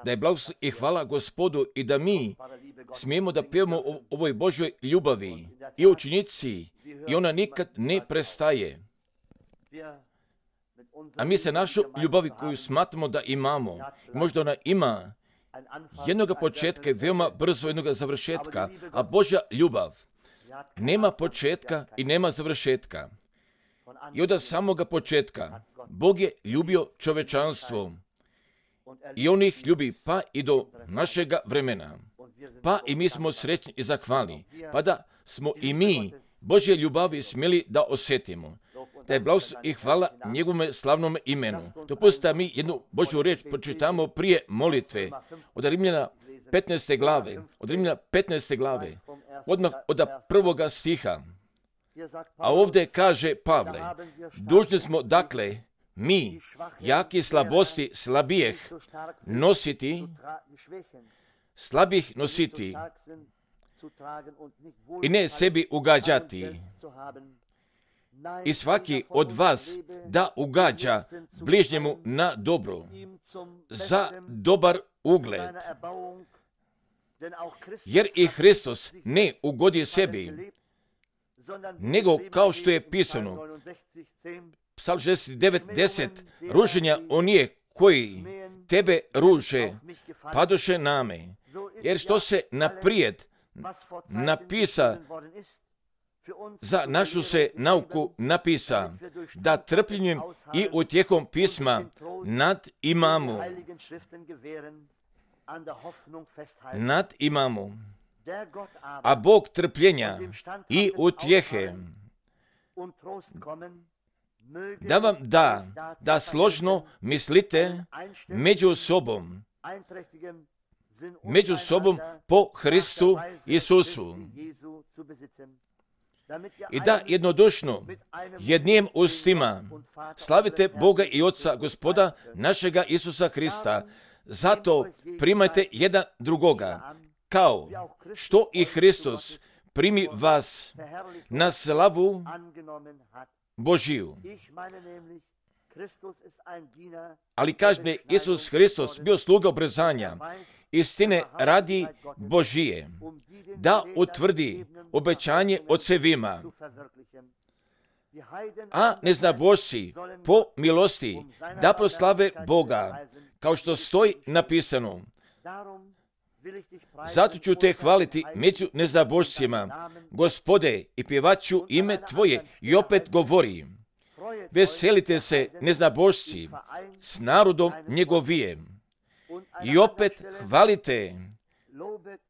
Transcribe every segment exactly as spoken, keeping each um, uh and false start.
Da je blagoslov i hvala Gospodu i da mi smijemo da pjevamo o ovoj Božoj ljubavi i učinici i ona nikad ne prestaje. A mi se našu ljubavi koju smatramo da imamo, možda ona ima jednoga početka i veoma brzo jednoga završetka, a Božja ljubav nema početka i nema završetka. I od samoga početka Bog je ljubio čovečanstvo i on ih ljubi pa i do našega vremena. Pa i mi smo srećni i zahvalni, pa da smo i mi Božje ljubavi smjeli da osjetimo. Da je blagoslov i hvala njegovome slavnom imenu. Dopustite mi jednu Božju riječ pročitamo prije molitve od Rimljana petnaeste glave, od Rimljana petnaeste glave, odmah od prvoga stiha. A ovdje kaže Pavle, dužni smo dakle mi, jaki slabosti slabijeh, nositi, slabih nositi i ne sebi ugađati. I svaki od vas da ugađa bližnjemu na dobro, za dobar ugled. Jer i Hristos ne ugodi sebi, nego kao što je pisano, Psalm šezdeset devet deset, ruženja onije koji tebe ruže, padoše name, jer što se naprijed napisa, za našu se nauku napisa, da trpljenjem i utjehom pisma nad imamo, nad imamo, a Bog trpljenja i utjehe da vam da, da složno mislite među sobom, među sobom po Hristu Isusu. I da jednodušno jednim ustima slavite Boga i Oca Gospoda našega Isusa Hrista. Zato primajte jedan drugoga, kao što i Hristos primi vas na slavu Božiju. Ali kaže Isus Hristos bio sluga obrezanja, istine radi Božije, da utvrdi obećanje ocevima. A neznabošci po milosti da proslave Boga, kao što stoji napisano. Zato ću te hvaliti među neznabošcima, Gospode, i pjevaću ime Tvoje. I opet govori, veselite se neznabošci s narodom njegovijem. I opet hvalite,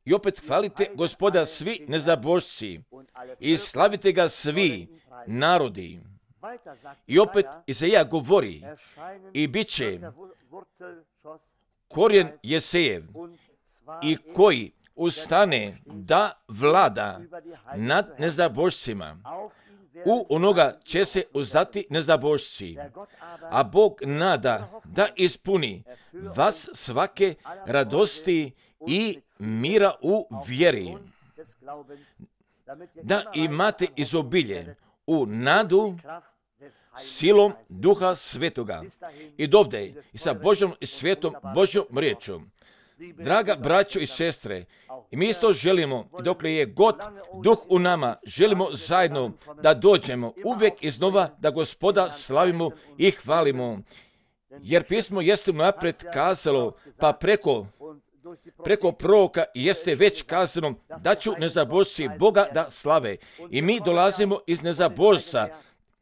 i opet hvalite Gospoda svi neznabošci i slavite ga svi narodi. I opet Izaija govori, i bit će korijen Jesejev, i koji ustane da vlada nad neznabošcima. U onoga će se uzdati neznabošci, a Bog nada da ispuni vas svake radosti i mira u vjeri, da imate izobilje u nadu silom Duha Svetoga. I dovde i sa Božjom i svetom Božjom riječom. Draga braćo i sestre, i mi isto želimo, dokle je god Duh u nama, želimo zajedno da dođemo uvijek iznova da Gospoda slavimo i hvalimo. Jer pismo jeste napred kazalo, pa preko, preko proroka jeste već kazano da ću neznabošci Boga da slave. I mi dolazimo iz neznabošca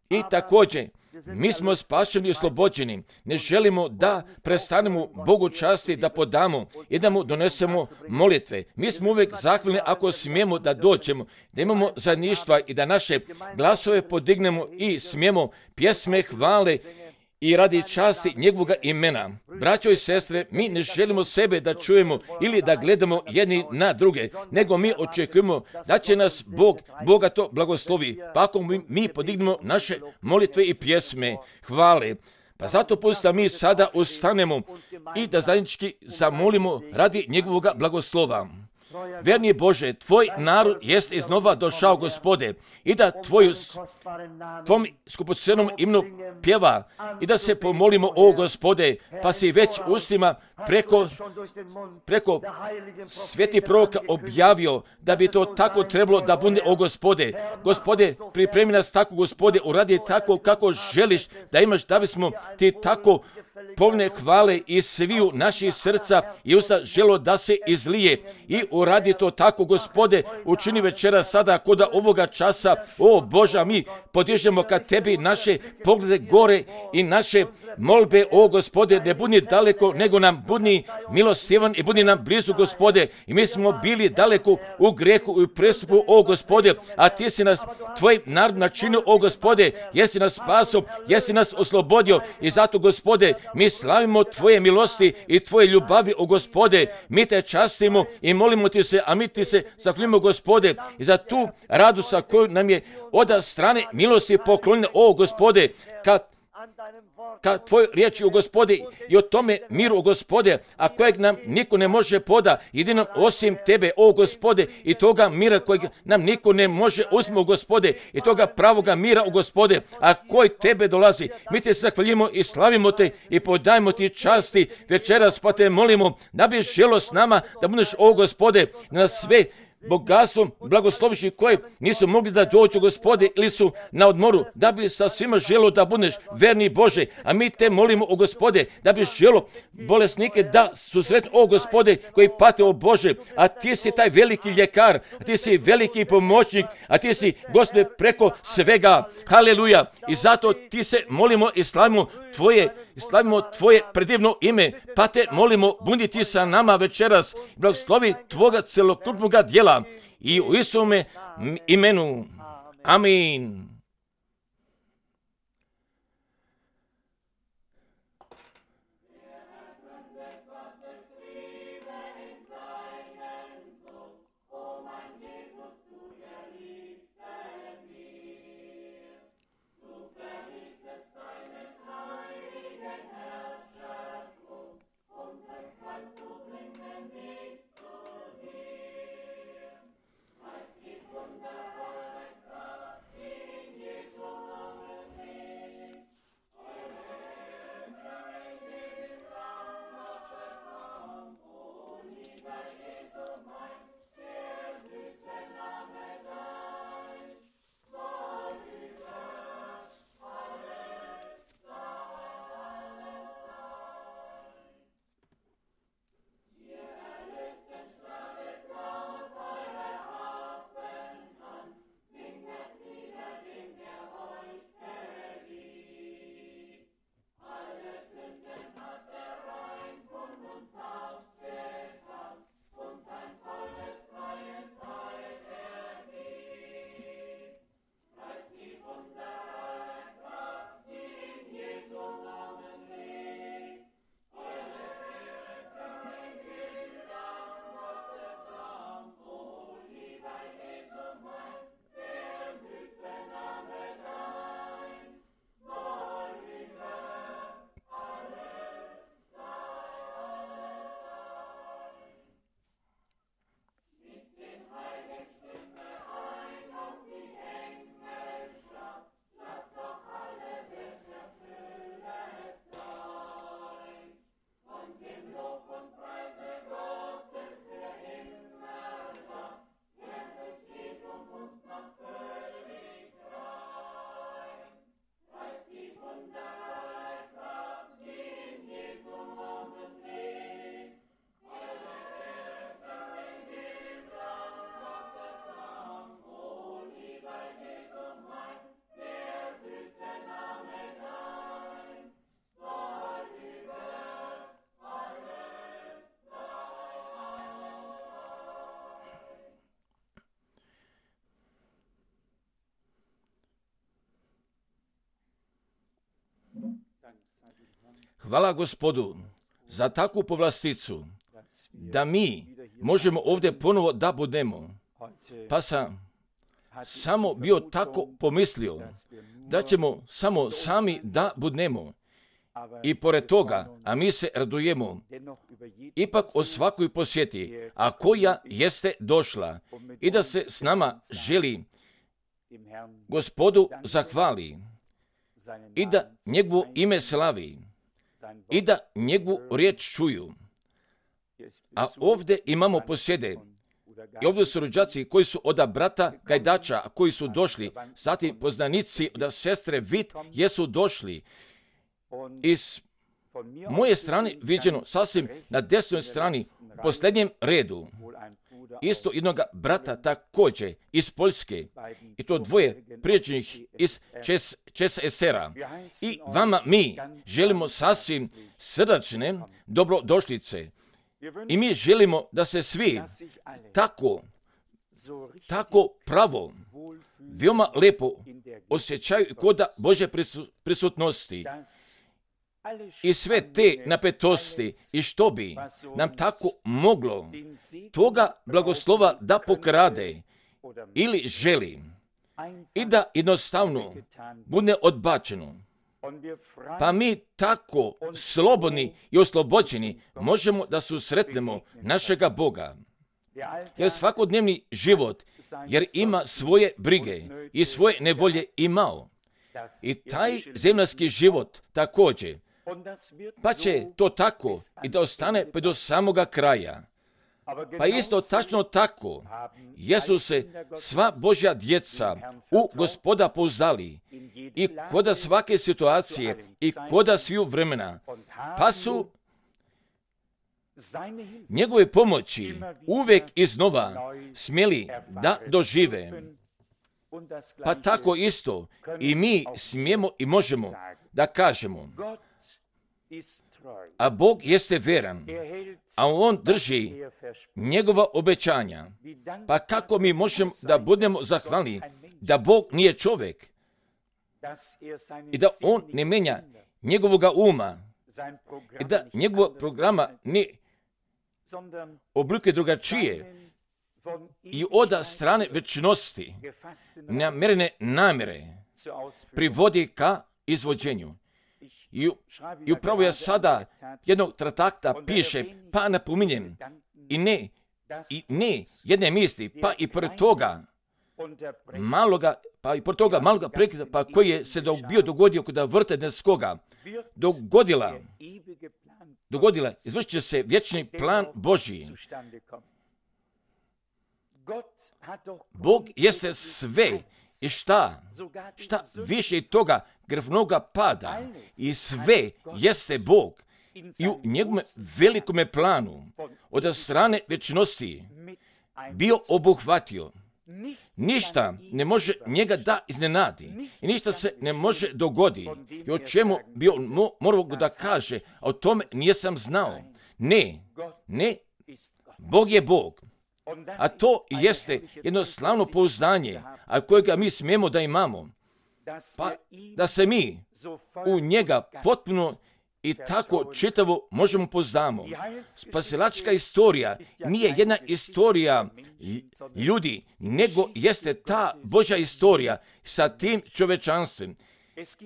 i također mi smo spašeni i oslobođeni. Ne želimo da prestanemo Bogu časti da podamo i da mu donesemo molitve. Mi smo uvijek zahvalni ako smijemo da dođemo, da imamo zajedništva i da naše glasove podignemo i smijemo pjesme hvale i radi časti njegovoga imena. Braćo i sestre, mi ne želimo sebe da čujemo ili da gledamo jedni na druge, nego mi očekujemo da će nas Bog bogato blagoslovi, pa ako mi, mi podignemo naše molitve i pjesme hvale. Pa zato pustite mi sada ustanemo i da zajednički zamolimo radi njegovoga blagoslova. Verni Bože, tvoj narod jest iznova došao, Gospode, i da tvoju, tvom skupocenom imenu pjeva i da se pomolimo, o Gospode, pa si već ustima preko, preko sveti proroka objavio da bi to tako trebalo da bude, o Gospode. Gospode, pripremi nas tako, Gospode, uradi tako kako želiš da imaš, da bismo ti tako povne hvale i sviju naših srca i usta želo da se izlije i uradi to tako, Gospode, učini večera sada kod ovoga časa, o Boža, mi podižemo ka tebi naše poglede gore i naše molbe, o Gospode, ne budi daleko, nego nam budi milostivan i budi nam blizu, Gospode, i mi smo bili daleko u grehu i u prestupu, o Gospode, a ti si nas, tvoj narod načinio, o Gospode, jesi nas spasio, jesi nas oslobodio i zato, Gospode, mi slavimo tvoje milosti i tvoje ljubavi, o Gospode, mi te častimo i molimo ti se, a mi ti se zahvalimo, Gospode, i za tu radu sa koju nam je od strane milosti poklonjena, o Gospode, kad ka tvoj riječi, o Gospode, i o tome miru, o Gospode, a kojeg nam niko ne može poda, jedino osim tebe, o Gospode, i toga mira kojeg nam niko ne može uzme, o Gospode, i toga pravoga mira, o Gospode, a koji tebe dolazi. Mi te zahvaljimo i slavimo te i podajemo ti časti večeras, pa te molimo da bi želo s nama, da budeš, o Gospode, na sve bogatstvom blagosloviši koji nisu mogli da dođu, Gospode, ili su na odmoru, da bi sa svima želo da budeš verni Bože, a mi te molimo, o Gospode, da bi želo bolesnike da su sretni, o Gospode, koji pate, o Bože, a ti si taj veliki ljekar, a ti si veliki pomoćnik, a ti si, Gospode, preko svega, haleluja, i zato ti se molimo i slavimo tvoje, i slavimo tvoje predivno ime, pa te molimo, budi ti sa nama večeras, blagoslovi tvoga celokupnoga djela, i u Isume imenu. Amin. Hvala Gospodu za takvu povlasticu, da mi možemo ovdje ponovo da budemo. Pa sam samo bio tako pomislio da ćemo samo sami da budemo I pored toga, a mi se radujemo, ipak o svakoj posjeti, a koja jeste došla i da se s nama želi Gospodu zahvali i da njegovo ime slavi i da njegovu riječ čuju. A ovdje imamo posjede. I ovdje su rođaci koji su od brata Gajdača, koji su došli, zatim poznanici od sestre Vit jesu došli. Iz moje strane viđeno, sasvim na desnoj strani, u posljednjem redu, isto jednog brata također iz Poljske, i to dvoje prijateljnih iz ČSSR-a. I vama mi želimo sasvim srdačne dobrodošlice. I mi želimo da se svi tako, tako pravo, veoma lepo osjećaju kod Božje prisutnosti. I sve te napetosti i što bi nam tako moglo toga blagoslova da pokrade ili želi i da jednostavno bude odbačeno. Pa mi tako slobodni i oslobođeni možemo da susretnemo našega Boga. Jer svakodnevni život, jer ima svoje brige i svoje nevolje imao. I taj zemljski život također, pa će to tako i da ostane pa do samoga kraja. Pa isto tačno tako, jesu se sva Božja djeca u Gospoda pouzdali i koda svake situacije i koda sviju vremena, pa su njegove pomoći uvijek iznova smjeli da dožive. Pa tako isto i mi smijemo i možemo da kažemo, a Bog jeste veran, a On drži njegova obećanja. Pa kako mi možemo da budemo zahvalni da Bog nije čovjek i da On ne menja njegovoga uma i da njegovog programa ne oblikuje drugačije i od strane večnosti namjerene namjere privodi ka izvođenju. I, I upravo ja sada jednog trakta piše, pa napominjem, i ne, i ne jedne misli, pa i pored toga maloga, pa i pored toga maloga prekida, pa koji je se do, bio dogodio kod vrta neskoga, dogodila, dogodila, izvršit će se vječni plan Božji. Bog jeste sve i šta, šta više toga grevnoga pada i sve jeste Bog i u njegovom velikome planu od strane večnosti bio obuhvatio. Ništa ne može njega da iznenadi i ništa se ne može dogodi. I o čemu bi on mo, morao da kaže, a o tome nisam znao. Ne, ne, Bog je Bog. A to jeste jedno slavno pouzdanje, a kojega mi smijemo da imamo. Pa da se mi u njega potpuno i tako čitavo možemo pouzdamo. Spasilačka istorija nije jedna istorija ljudi, nego jeste ta Božja istorija sa tim čovečanstvom.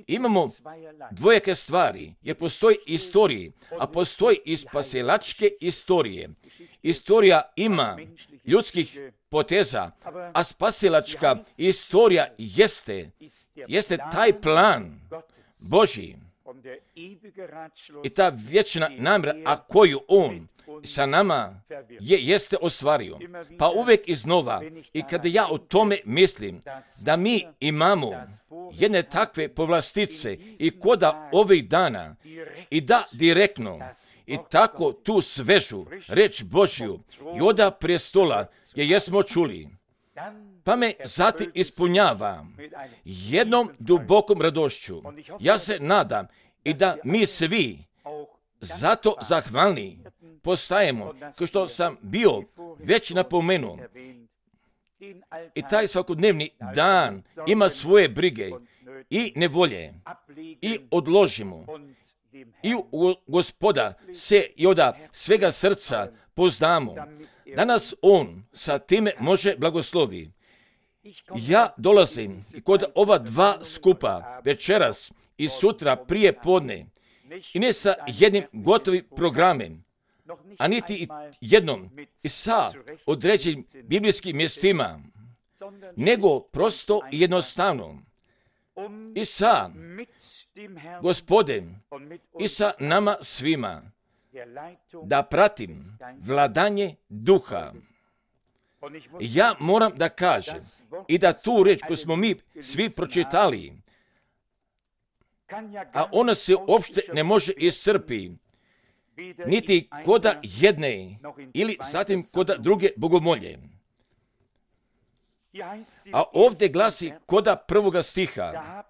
Imamo dvojake stvari, jer postoji istorije, a postoji i spasilačke istorije. Istorija ima ljudskih poteza, a spasilačka istorija jeste, jeste taj plan Božji. I ta vječna namjera, a koju On sa nama je, jeste ostvario. Pa uvijek iznova, i kada ja o tome mislim, da mi imamo jedne takve povlastice i koda ovih dana, i da direktno, i tako tu svežu reč Božju i oda prestola je jesmo čuli. Pa me zatim ispunjava jednom dubokom radošću. Ja se nadam i da mi svi zato zahvalni postajemo, kao što sam bio već napomenuo. I taj svakodnevni dan ima svoje brige i nevolje i odložimo. I u Gospoda se i od svega srca poznamo. Danas On sa time može blagoslovi. Ja dolazim kod ova dva skupa večeras i sutra prije podne i ne sa jednim gotovim programem, a niti jednom i sa određenim biblijskim mjestima, nego prosto i jednostavno i sa Gospodem i sa nama svima da pratim vladanje duha. Ja moram da kažem i da tu reč koju smo mi svi pročitali, a ona se uopšte ne može iscrpi, niti koda jedne ili zatim koda druge bogomolje. A ovdje glasi koda prvoga stiha: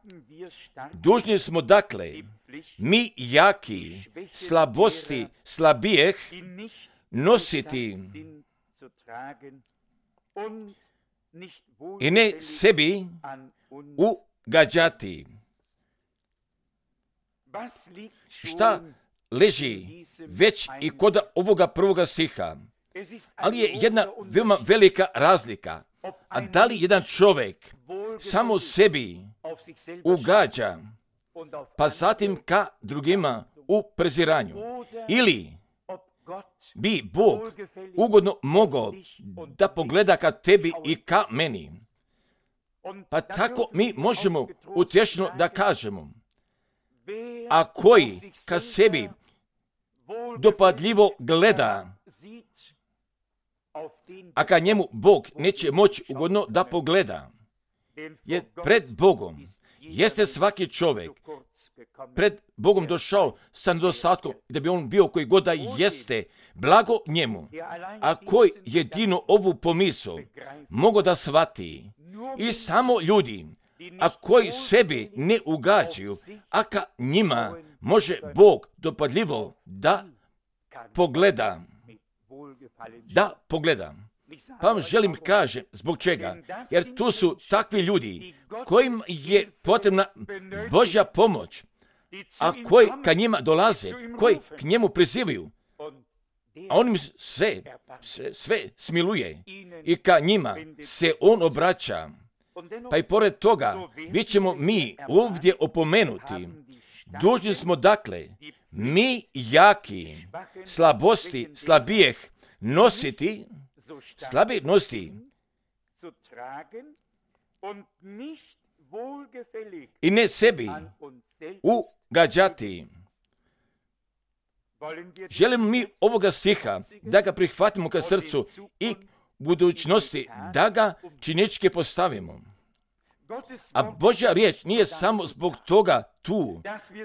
dužni smo dakle, mi jaki, slabosti slabijeh, nositi i ne sebi ugađati. Šta leži već i kod ovoga prvoga stiha? Ali je jedna veoma velika razlika. A da li jedan čovjek samo sebi ugađa, pa zatim ka drugima u preziranju? Ili bi Bog ugodno mogao da pogleda ka tebi i ka meni? Pa tako mi možemo utješno da kažemo: a koji ka sebi dopadljivo gleda, a ka njemu Bog neće moći ugodno da pogleda, jer pred Bogom jeste svaki čovjek pred Bogom došao sa nedostatkom, da bi on bio koji god da jeste, blago njemu, a koji jedino ovu pomisao mogu da shvati, i samo ljudi, a koji sebi ne ugađaju, a ka njima može Bog dopadljivo da pogleda. Da pogleda. Pa vam želim kažem zbog čega. Jer tu su takvi ljudi kojim je potrebna Božja pomoć, a koji ka njima dolaze, koji k njemu prizivaju, a on im sve, sve, sve smiluje i ka njima se on obraća. Pa i pored toga, bit ćemo mi ovdje opomenuti. Dužni smo dakle, mi jaki, slabosti slabijeh nositi, slabi nositi i ne sebi ugađati. Želimo mi ovoga stiha da ga prihvatimo ka srcu i budućnosti da ga činičke postavimo. A Božja riječ nije samo zbog toga tu,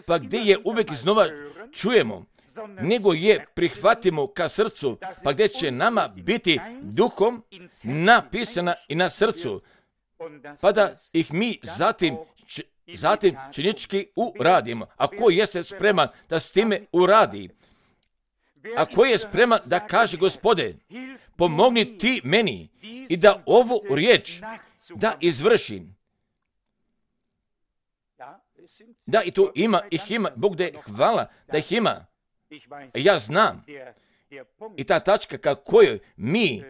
pa gdje je uvijek iznova čujemo, nego je prihvatimo ka srcu, pa gdje će nama biti duhom napisana i na srcu, pa da ih mi zatim, č, zatim činički uradimo. A ko jeste spreman da s time uradi? A ko je spreman da kaže: Gospode, pomogni ti meni i da ovu riječ da izvršim. Da, i tu ima, ih ima, Bog da je hvala da ih ima. Ja znam. I ta tačka ka kojoj mi,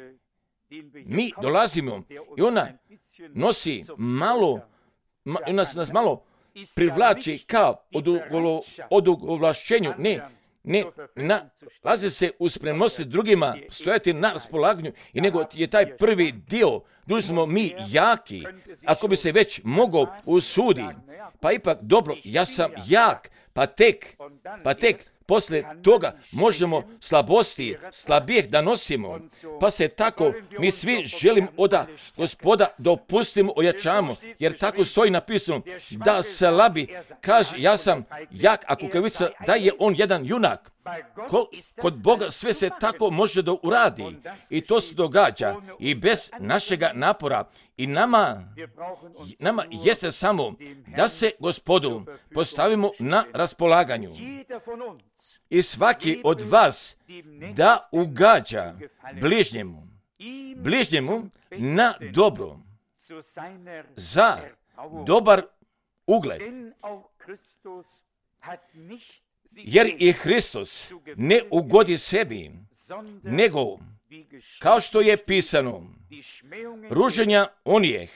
mi dolazimo, i ona nosi malo, ma, ona nas malo privlači ka odugovlašćenju, ne, ne, nalazi se u spremnosti drugima, stojati na raspolaganju, i nego je taj prvi dio, dužni smo mi jaki, ako bi se već mogao usudi, pa ipak dobro, ja sam jak, pa tek, pa tek, poslije toga možemo slabosti, slabijeh da nosimo, pa se tako mi svi želimo od Gospoda da opustimo, ojačamo, jer tako stoji napisano da slabi kaže: ja sam jak, a kukavica da je on jedan junak. Ko, kod Boga sve se tako može da uradi, i to se događa i bez našega napora, i nama, nama jeste samo da se Gospodu postavimo na raspolaganju. I svaki od vas da ugađa bližnjemu, bližnjemu na dobro, za dobar ugled. Jer i Hristos ne ugodi sebi, nego, kao što je pisano, ruženja onijeh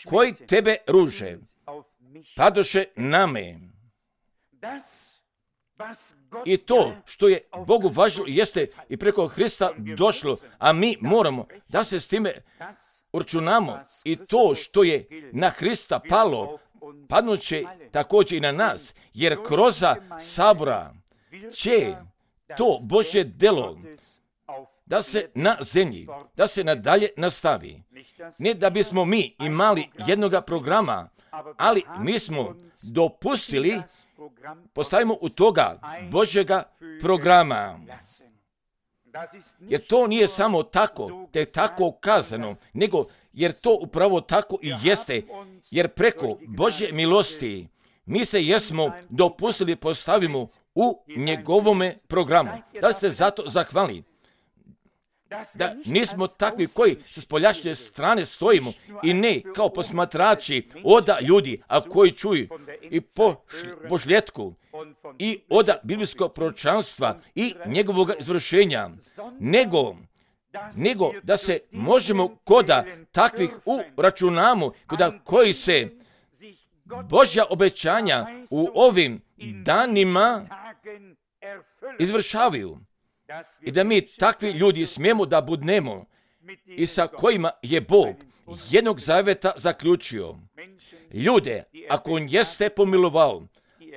koji tebe ruže, padoše na me. I to što je Bogu važno jeste i preko Hrista došlo, a mi moramo da se s time uračunamo. I to što je na Hrista palo, padnuće također i na nas, jer kroz sabora će to Božje delo da se na zemlji, da se nadalje nastavi. Ne da bismo mi imali jednoga programa, ali mi smo dopustili, postavimo u toga Božjega programa. Jer to nije samo tako, te tako kazano, nego jer to upravo tako i jeste, jer preko Božje milosti mi se jesmo dopustili postavimo u njegovome programu. Da se zato zahvali. Da nismo takvi koji sa spoljašnje strane stojimo i ne kao posmatrači oda ljudi, a koji čuju i po božljetku i oda biblijskog proročanstva i njegovog izvršenja, nego, nego da se možemo koda takvih uračunamo, koda koji se Božja obećanja u ovim danima izvršavaju. I da mi takvi ljudi smijemo da budnemo i sa kojima je Bog jednog zaveta zaključio. Ljude, ako on jeste pomilovao,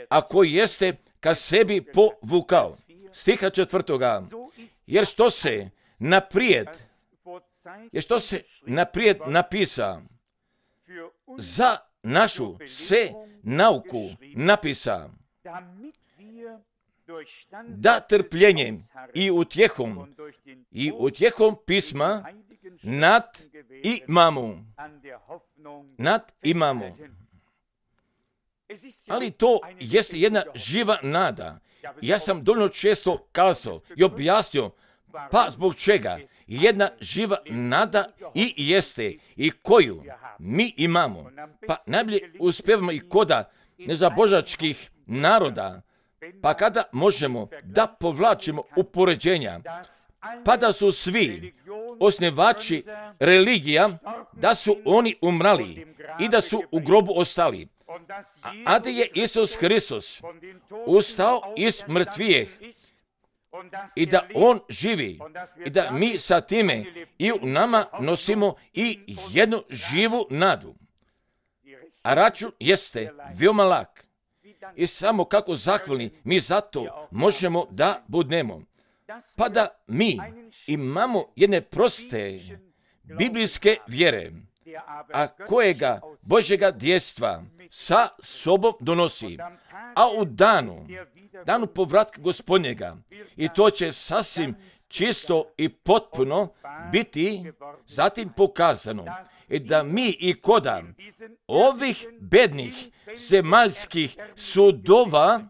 ako jeste ka sebi povukao. Stiha četvrtoga. Jer što se naprijed, jer što se naprijed napisa, za našu se nauku napisa, da trpljenjem i utjehom i utjehom pisma nad imamo. Nad imamo. Ali to jeste jedna živa nada. Ja sam dovoljno često kazao i objasnio, pa zbog čega jedna živa nada i jeste i koju mi imamo. Pa najbolje uspevamo i koda nezabožačkih naroda, pa kada možemo da povlačimo upoređenja, pa da su svi osnivači religija, da su oni umrali i da su u grobu ostali. A da je Isus Hristos ustao iz mrtvijeh i da on živi i da mi sa time i u nama nosimo i jednu živu nadu. A račun jeste veoma lak. I samo kako zahvalni mi zato možemo da budnemo. Pa da mi imamo jedne proste biblijske vjere, a kojega Božjega djestva sa sobom donosi, a u danu, danu povratka Gospodnjega, i to će sasvim čisto i potpuno biti zatim pokazano, i da mi i koda ovih bednih zemaljskih sudova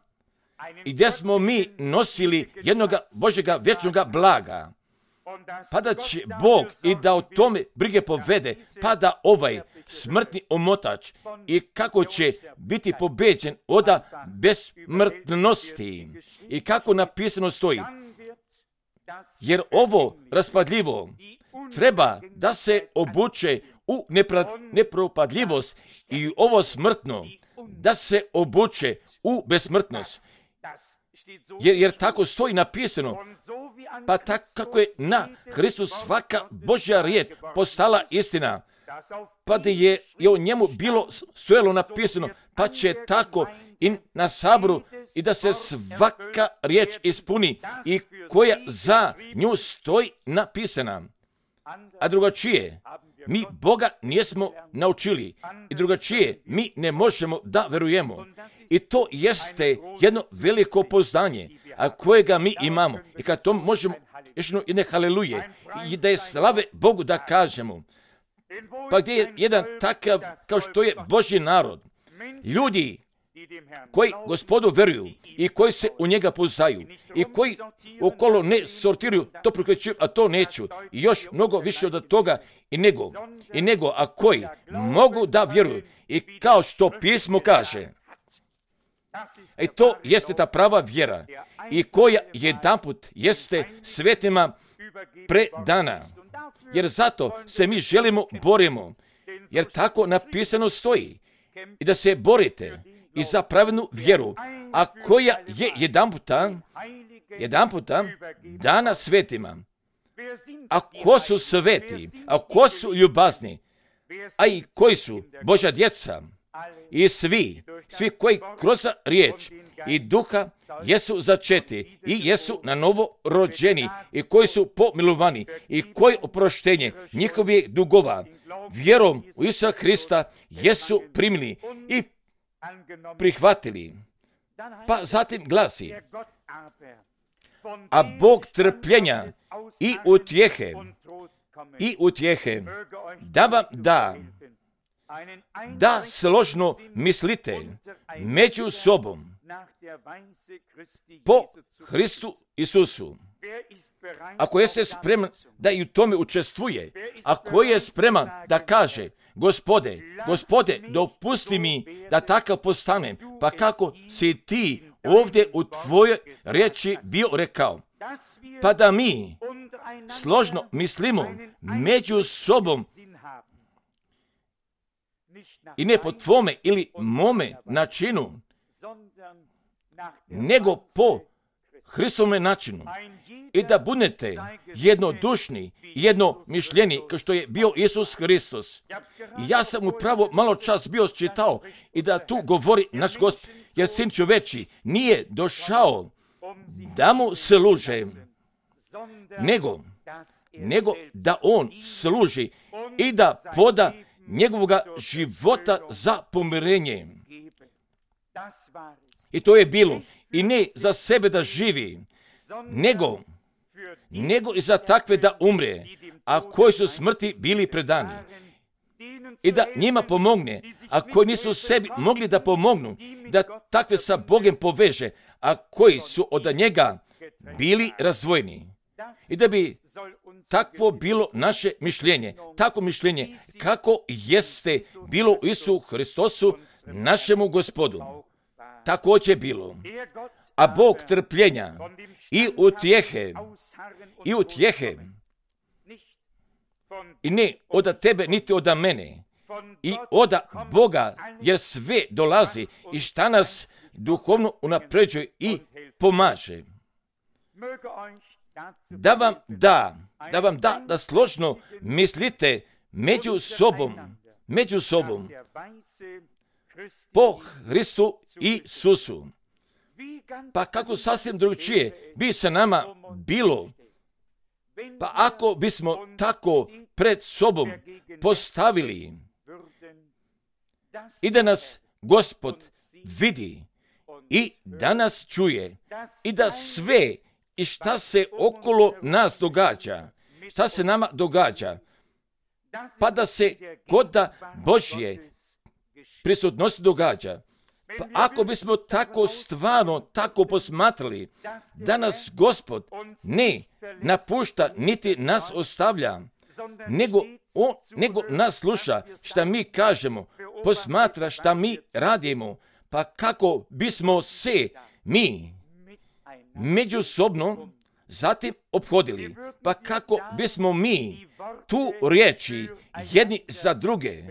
i gdje smo mi nosili jednoga Božjega vječnoga blaga, pa da će Bog i da o tome brige povede, pa da ovaj smrtni omotač i kako će biti pobeđen od besmrtnosti i kako napisano stoji. Jer ovo raspadljivo treba da se obuče u nepra- nepropadljivost i ovo smrtno da se obuče u besmrtnost. Jer, jer tako stoji napisano, pa tako kako je na Hristu svaka Božja riječ postala istina, pa da je, je o njemu bilo stojalo napisano, pa će tako i na saboru i da se svaka riječ ispuni i koja za nju stoji napisana. A drugačije, mi Boga nismo naučili i drugačije mi ne možemo da verujemo. I to jeste jedno veliko poznanje, a kojega mi imamo. I kad to možemo, još jedne haleluje, i da je slave Bogu da kažemo. Pa gdje je jedan takav kao što je Božji narod, ljudi koji Gospodu veruju i koji se u njega poznaju i koji okolo ne sortiraju, to prikrećuju, a to neću. I još mnogo više od toga i nego, i nego, a koji mogu da vjeruju. I kao što pismo kaže, i to jeste ta prava vjera i koja jedanput jeste svetima predana. Jer zato se mi želimo, borimo, jer tako napisano stoji. I da se borite i za pravednu vjeru, a koja je jedanputa, jedanputa dana svetima. A ko su sveti, a ko su ljubazni, a i koji su Božja djeca, i svi, svi koji kroz riječ i duha jesu začeti i jesu na novo rođeni i koji su pomilovani i koji oproštenje njihovih dugova vjerom u Isusa Hrista jesu primili i prihvatili. Pa zatim glasi, a Bog trpljenja i utjehe, i utjehe, da vam da, da složno mislite među sobom po Hristu Isusu. Ako jeste spreman da i u tome učestvuje, ako je spreman da kaže, Gospode, Gospode, dopusti mi da takav postanem, pa kako si ti ovdje u tvojoj riječi bio rekao, pa da mi složno mislimo među sobom i ne po tvome ili mome načinu, nego po Hristove načinu i da budete jednodušni, jedno mišljeni, kao što je bio Isus Hristos. Ja sam upravo malo čas bio čitao i da tu govori naš Gospod, jer sin čoveči nije došao da mu služe, nego, nego da on služi i da poda njegovoga života za pomirenje. I to je bilo. I ne za sebe da živi, nego, nego i za takve da umre, a koji su smrti bili predani. I da njima pomogne, a koji nisu sebi mogli da pomognu, da takve sa Bogom poveže, a koji su od njega bili razdvojeni. I da bi takvo bilo naše mišljenje, takvo mišljenje kako jeste bilo u Isusu Hristosu, našemu Gospodu. Također je bilo. A Bog trpljenja i utjehe, i utjehe, i ne od tebe niti od mene, i od Boga, jer sve dolazi i šta nas duhovno unapređuje i pomaže. Da vam da, da vam da, da složno mislite među sobom, među sobom, po Hristu Isusu. Pa kako sasvim drugčije bi se nama bilo, pa ako bismo tako pred sobom postavili i da nas Gospod vidi i da nas čuje i da sve i šta se okolo nas događa, šta se nama događa, pa da se kod Božje prisutnosti događa. Pa ako bismo tako stvarno, tako posmatrali, da nas Gospod ne napušta, niti nas ostavlja, nego, on, nego nas sluša šta mi kažemo, posmatra šta mi radimo, pa kako bismo se mi međusobno zatim ophodili, pa kako bismo mi tu riječi jedni za druge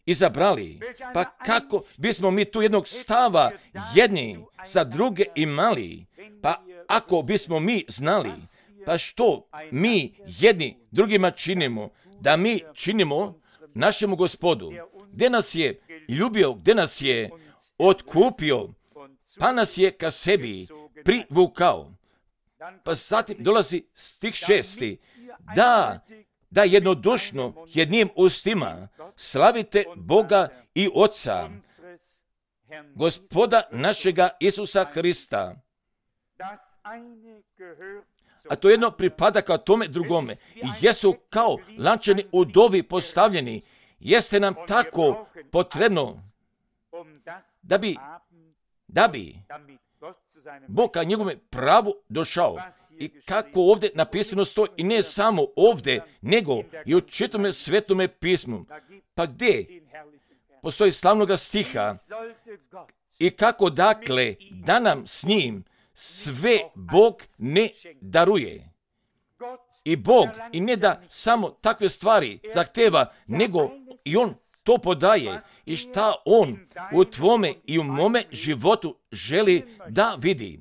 izabrali, pa kako bismo mi tu jednog stava jedni za druge imali, pa ako bismo mi znali, pa što mi jedni drugima činimo, da mi činimo našemu Gospodu, gdje nas je ljubio, gdje nas je otkupio, pa nas je ka sebi privukao. Pa zatim dolazi stih šesti, da, da jednodušno jednim ustima slavite Boga i Oca, Gospoda našega Isusa Hrista. A to jedno pripada kao tome drugome. I jesu kao lančani udovi postavljeni. Jeste nam tako potrebno da bi, da bi Bog ka njegove pravu došao. I kako ovdje napisano stoji, i ne samo ovdje, nego i u čitome svetome pismu. Pa gdje postoji slavnoga stiha i kako dakle da nam s njim sve Bog ne daruje. I Bog i ne da samo takve stvari zahteva, nego i On to podaje i šta On u tvome i u mome životu želi da vidi.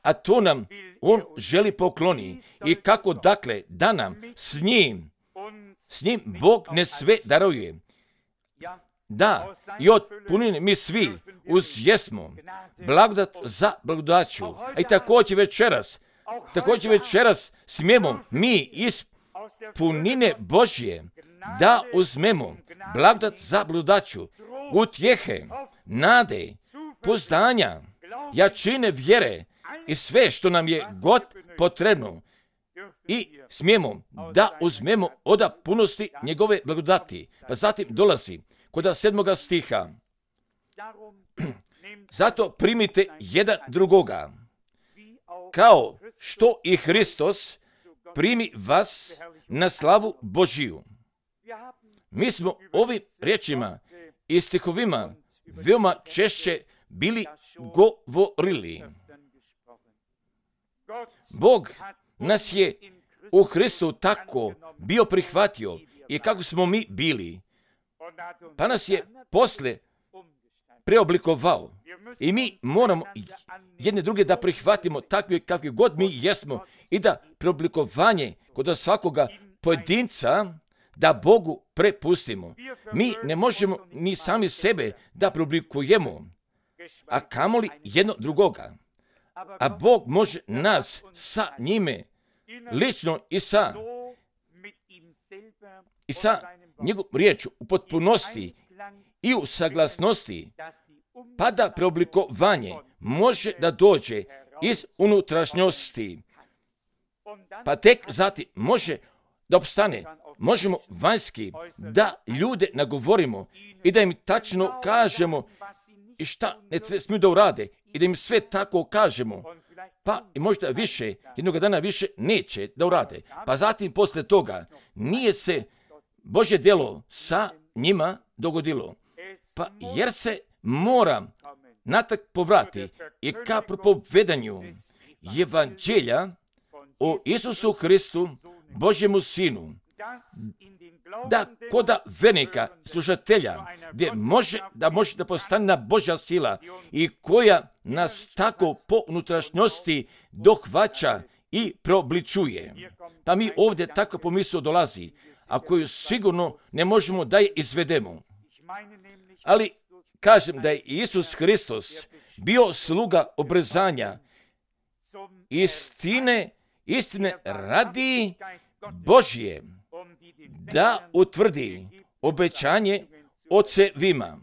A to nam On želi pokloni. I kako dakle da nam s njim, s njim Bog ne sve daruje. Da, i od punine mi svi uz jesmo blagodat za blagodaću. A i također večeras, također večeras smijemo mi iz punine Božje da uzmemo blagodat za blagodaću, utjehe, nade, poznanja, jačine vjere i sve što nam je god potrebno. I smijemo da uzmemo od punosti njegove blagodati. Pa zatim dolazi kod sedmoga stiha. Zato primite jedan drugoga, kao što i Hristos primi vas na slavu Božiju. Mi smo ovim riječima i stihovima veoma češće bili govorili. Bog nas je u Hristu tako bio prihvatio i kako smo mi bili, pa nas je posle preoblikovao. I mi moramo jedne druge da prihvatimo takvi kakvi god mi jesmo i da preoblikovanje kod svakoga pojedinca da Bogu prepustimo. Mi ne možemo ni sami sebe da preoblikujemo, a kamoli jedno drugoga. A Bog može nas sa njime lično i sa i sa njegovom riječu u potpunosti i u saglasnosti, pa da preoblikovanje može da dođe iz unutrašnjosti, pa tek zatim može da opstane. Možemo vanjski da ljude nagovorimo i da im tačno kažemo i šta ne smiju da urade i da im sve tako kažemo, pa i možda više, jednog dana više neće da urade. Pa zatim posle toga nije se Božje djelo sa njima dogodilo. Pa jer se mora natak povrati i ka propovedanju evanđelja o Isusu Hristu, Božjemu Sinu, da koda vernika, slušatelja, gdje može da može da postane Božja sila i koja nas tako po unutrašnjosti dohvaća i preobličuje. Pa mi ovdje tako pomisao dolazi, a koju sigurno ne možemo da je izvedemo. Ali kažem da je Isus Hristos bio sluga obrezanja istine, istine radi Božje, da utvrdi obećanje ocevima.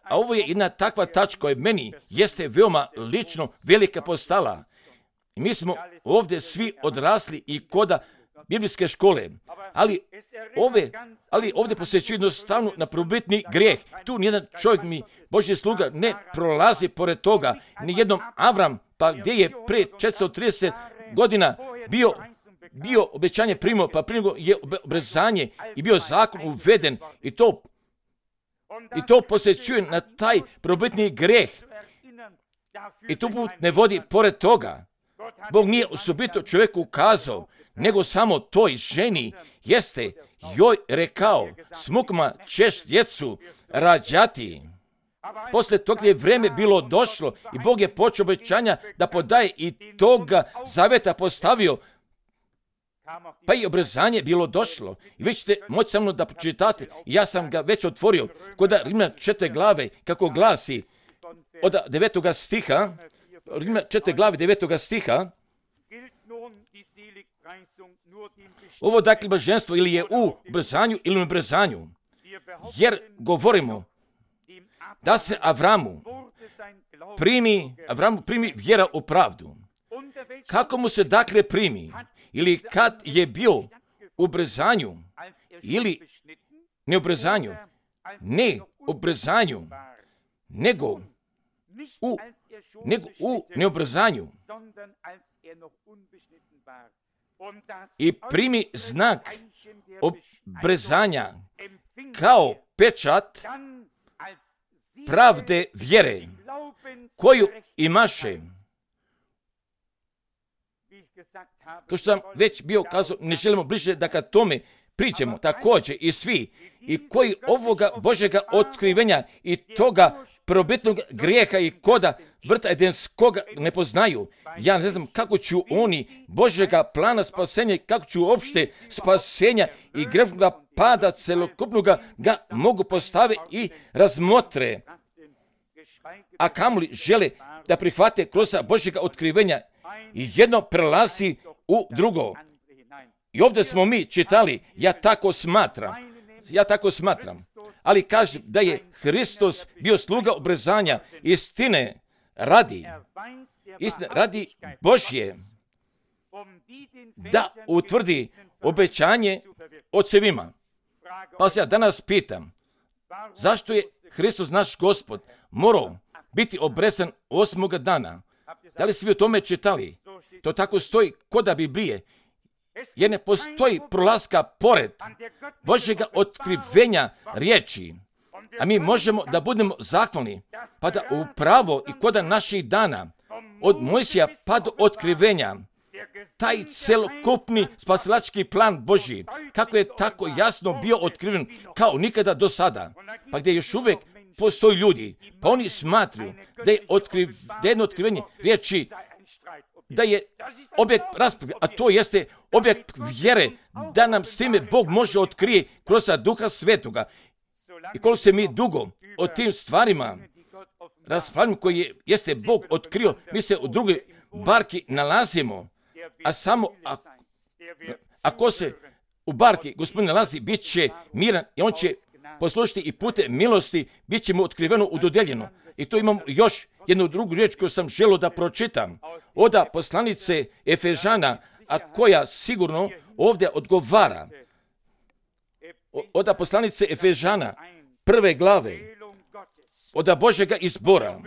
A ovo je jedna takva tačka koja meni jeste veoma lično velika postala. Mi smo ovdje svi odrasli i koda biblijske škole, ali, ove, ali ovdje posjećuje jednostavno na probitni grijeh. Tu nijedan čovjek mi, Božji sluga, ne prolazi pored toga. Nijednom Avram, pa gdje je pre četiristo trideset godina bio bio obećanje primio, pa primio je obrezanje i bio zakon uveden i to i to posjećuje na taj probitni grijeh. I tu put ne vodi pored toga. Bog nije osobito čovjeku ukazao, nego samo toj ženi jeste joj rekao, smukma ćeš djecu rađati. Posle toga je vreme bilo došlo i Bog je počeo obećanja da podaje i toga zaveta postavio, pa i obrezanje bilo došlo. I vi ćete moći sa mnom da pročitate. Ja sam ga već otvorio kod Rimljana četiri glave, kako glasi od devetoga stiha, Rimljana četiri glave devetoga stiha. Ovo dakle blaženstvo ili je u obrezanju ili u obrezanju. Jer govorimo da se Avramu primi, Avramu primi vjera u pravdu. Kako mu se dakle primi? Ili kad je bio u obrezanju, ili ne obrezanju, ne obrezanju, nego u, nego u neobrezanju. I primi znak obrezanja kao pečat pravde vjere koju imaše. Kao što sam već bio kazao, ne želimo bliže da ka tome priđemo također i svi, i koji ovoga Božjega otkrivenja i toga probitnog grijeha i koda vrta edenskoga ne poznaju. Ja ne znam kako ću oni Božjega plana spasenja, kako ću uopšte spasenja i grešnoga pada celokupnoga ga mogu postaviti i razmotre. A kamoli žele da prihvate kroz Božjega otkrivenja i jedno prelazi u drugo. I ovdje smo mi čitali, ja tako smatram, ja tako smatram, ali kažem da je Hristos bio sluga obrezanja istine radi, istine radi Božje, da utvrdi obećanje ocevima. Pa se ja danas pitam, zašto je Hristos naš Gospod morao biti obrezan osmoga dana? Da li svi o tome čitali? To tako stoji kod da Biblije. Jer ne postoji prolaska pored Božjega otkrivenja riječi. A mi možemo da budemo zahvalni, pa da upravo i kod naših dana, od Mojsija pa do otkrivenja, taj celokupni spasilački plan Božji, kako je tako jasno bio otkriven kao nikada do sada, pa gdje još uvijek postoji ljudi, pa oni smatruju da je otkriv, da jedno otkrivenje riječi, da je objekt rasprave, a to jeste objekt vjere, da nam s time Bog može otkrije kroz Duha Svetoga. I koliko se mi dugo o tim stvarima raspravljamo koji je, jeste Bog otkrio, mi se u drugoj barki nalazimo, a samo ako, ako se u barki Gospodin nalazi, bit će miran i on će poslušati i putem milosti bit će mu otkriveno, udodeljeno. I tu imam još jednu drugu riječ koju sam želio da pročitam. Oda poslanice Efežana, a koja sigurno ovdje odgovara. Oda poslanice Efežana, prve glave, oda Božjega izbora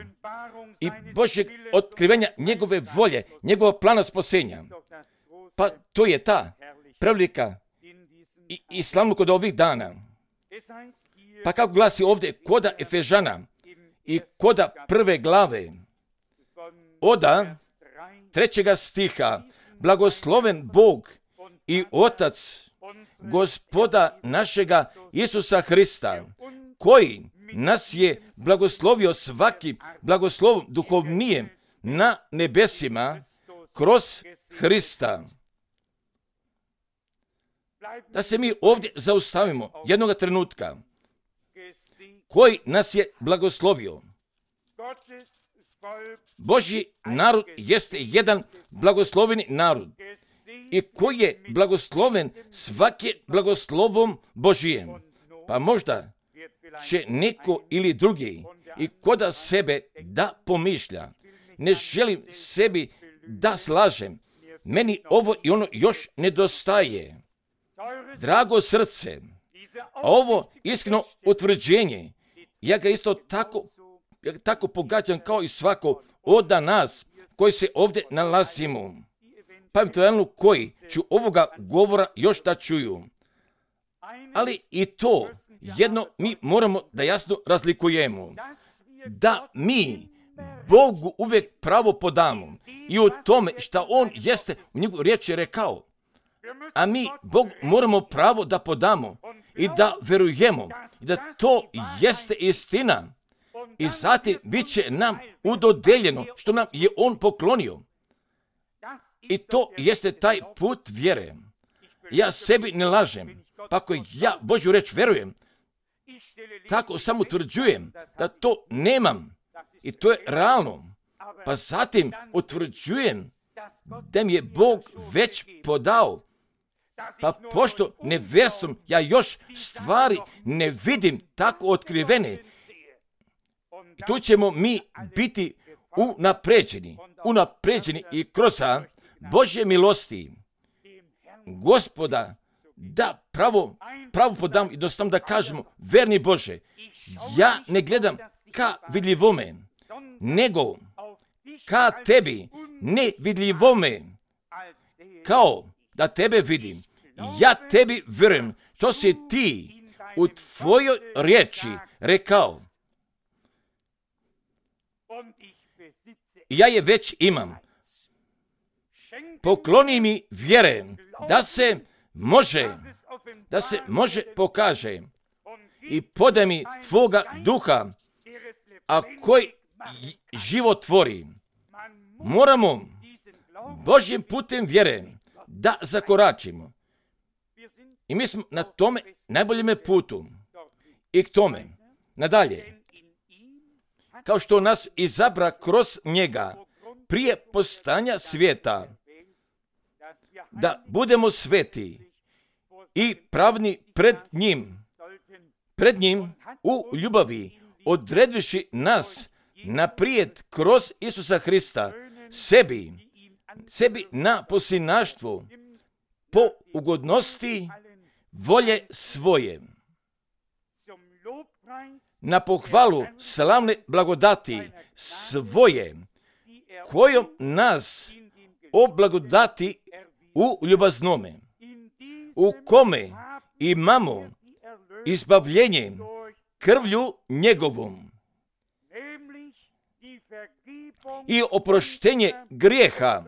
i Božjeg otkrivenja njegove volje, njegova plana spasenja. Pa to je ta prevelika i, i slavno kod ovih dana. Pa kako glasi ovdje koda Efežana i koda prve glave, oda trećega stiha, blagosloven Bog i Otac Gospoda našega Isusa Hrista, koji nas je blagoslovio svaki blagoslovom duhovnijem na nebesima kroz Hrista. Da se mi ovdje zaustavimo jednoga trenutka. Koji nas je blagoslovio? Božji narod jeste jedan blagosloveni narod. I koji je blagosloven svake blagoslovom Božijem. Pa možda će neko ili drugi i koda sebe da pomišlja. Ne želim sebi da slažem. Meni ovo i ono još nedostaje. Drago srce, a ovo iskreno utvrđenje, ja ga isto tako, ja ga tako pogađam kao i svako od nas koji se ovdje nalazimo. Pa eventualno koji ću ovoga govora još da čuju. Ali i to jedno mi moramo da jasno razlikujemo. Da mi Bogu uvijek pravo podamo i u tome što On jeste u njegovoj riječi rekao. A mi Bog moramo pravo da podamo i da verujemo i da to jeste istina. I zatim bit će nam udodeljeno što nam je On poklonio. I to jeste taj put vjere. Ja sebi ne lažem. Pa ako ja Božju reč verujem, tako samo utvrđujem da to nemam. I to je realno. Pa zatim utvrđujem da mi je Bog već podao. Pa pošto nevjerstvom ja još stvari ne vidim tako otkrivene, tu ćemo mi biti unapređeni, unapređeni i kroz Božje milosti Gospoda da pravo, pravo podam i jednostavno da kažemo, verni Bože, ja ne gledam ka vidljivome, nego ka tebi nevidljivome, kao da tebe vidim. Ja tebi vjerujem, što si ti u tvojoj riječi rekao. Ja je već imam. Pokloni mi vjere da se može da se može pokaže i podaj mi tvoga duha, a koji život tvori. Moramo Božjim putem vjere da zakoračimo. I mi smo na tome najboljem putu. I k tome, nadalje, kao što nas izabra kroz njega prije postanja svijeta, da budemo sveti i pravni pred njim, pred njim u ljubavi, odredivši nas naprijed kroz Isusa Hrista, sebi, sebi na posljednaštvo, po ugodnosti volje svoje, na pohvalu slavne blagodati svoje, kojom nas oblagodati u ljubaznome, u kome imamo izbavljenje krvlju njegovom i oproštenje grijeha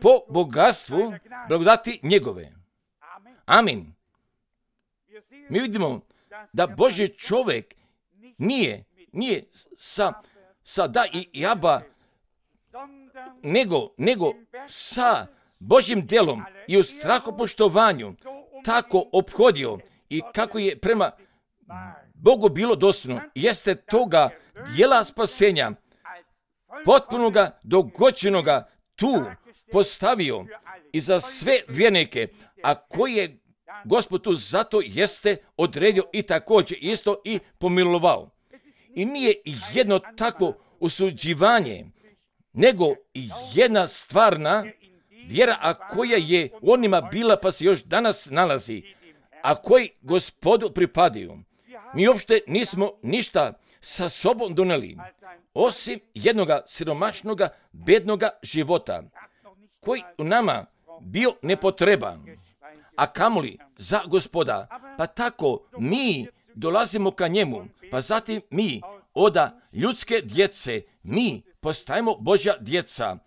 po bogatstvu blagodati njegove. Amin. Mi vidimo da Božji čovjek nije, nije sa, sa da i jaba, nego, nego sa Božjim djelom i u strahopoštovanju tako ophodio i kako je prema Bogu bilo dostojno, jeste toga djela spasenja, potpunoga, dogođenoga tu postavio i za sve vjernike, a koji je Gospod tu zato jeste odredio i također isto i pomilovao. I nije jedno takvo usuđivanje, nego jedna stvarna vjera, a koja je onima bila pa se još danas nalazi, a koji Gospodu pripadaju. Mi uopšte nismo ništa sa sobom doneli, osim jednoga siromašnoga, bednoga života, koji u nama bio nepotreban, a kamoli za Gospoda. Pa tako mi dolazimo ka njemu, pa zatim mi oda ljudske djece, mi postajemo Božja djeca.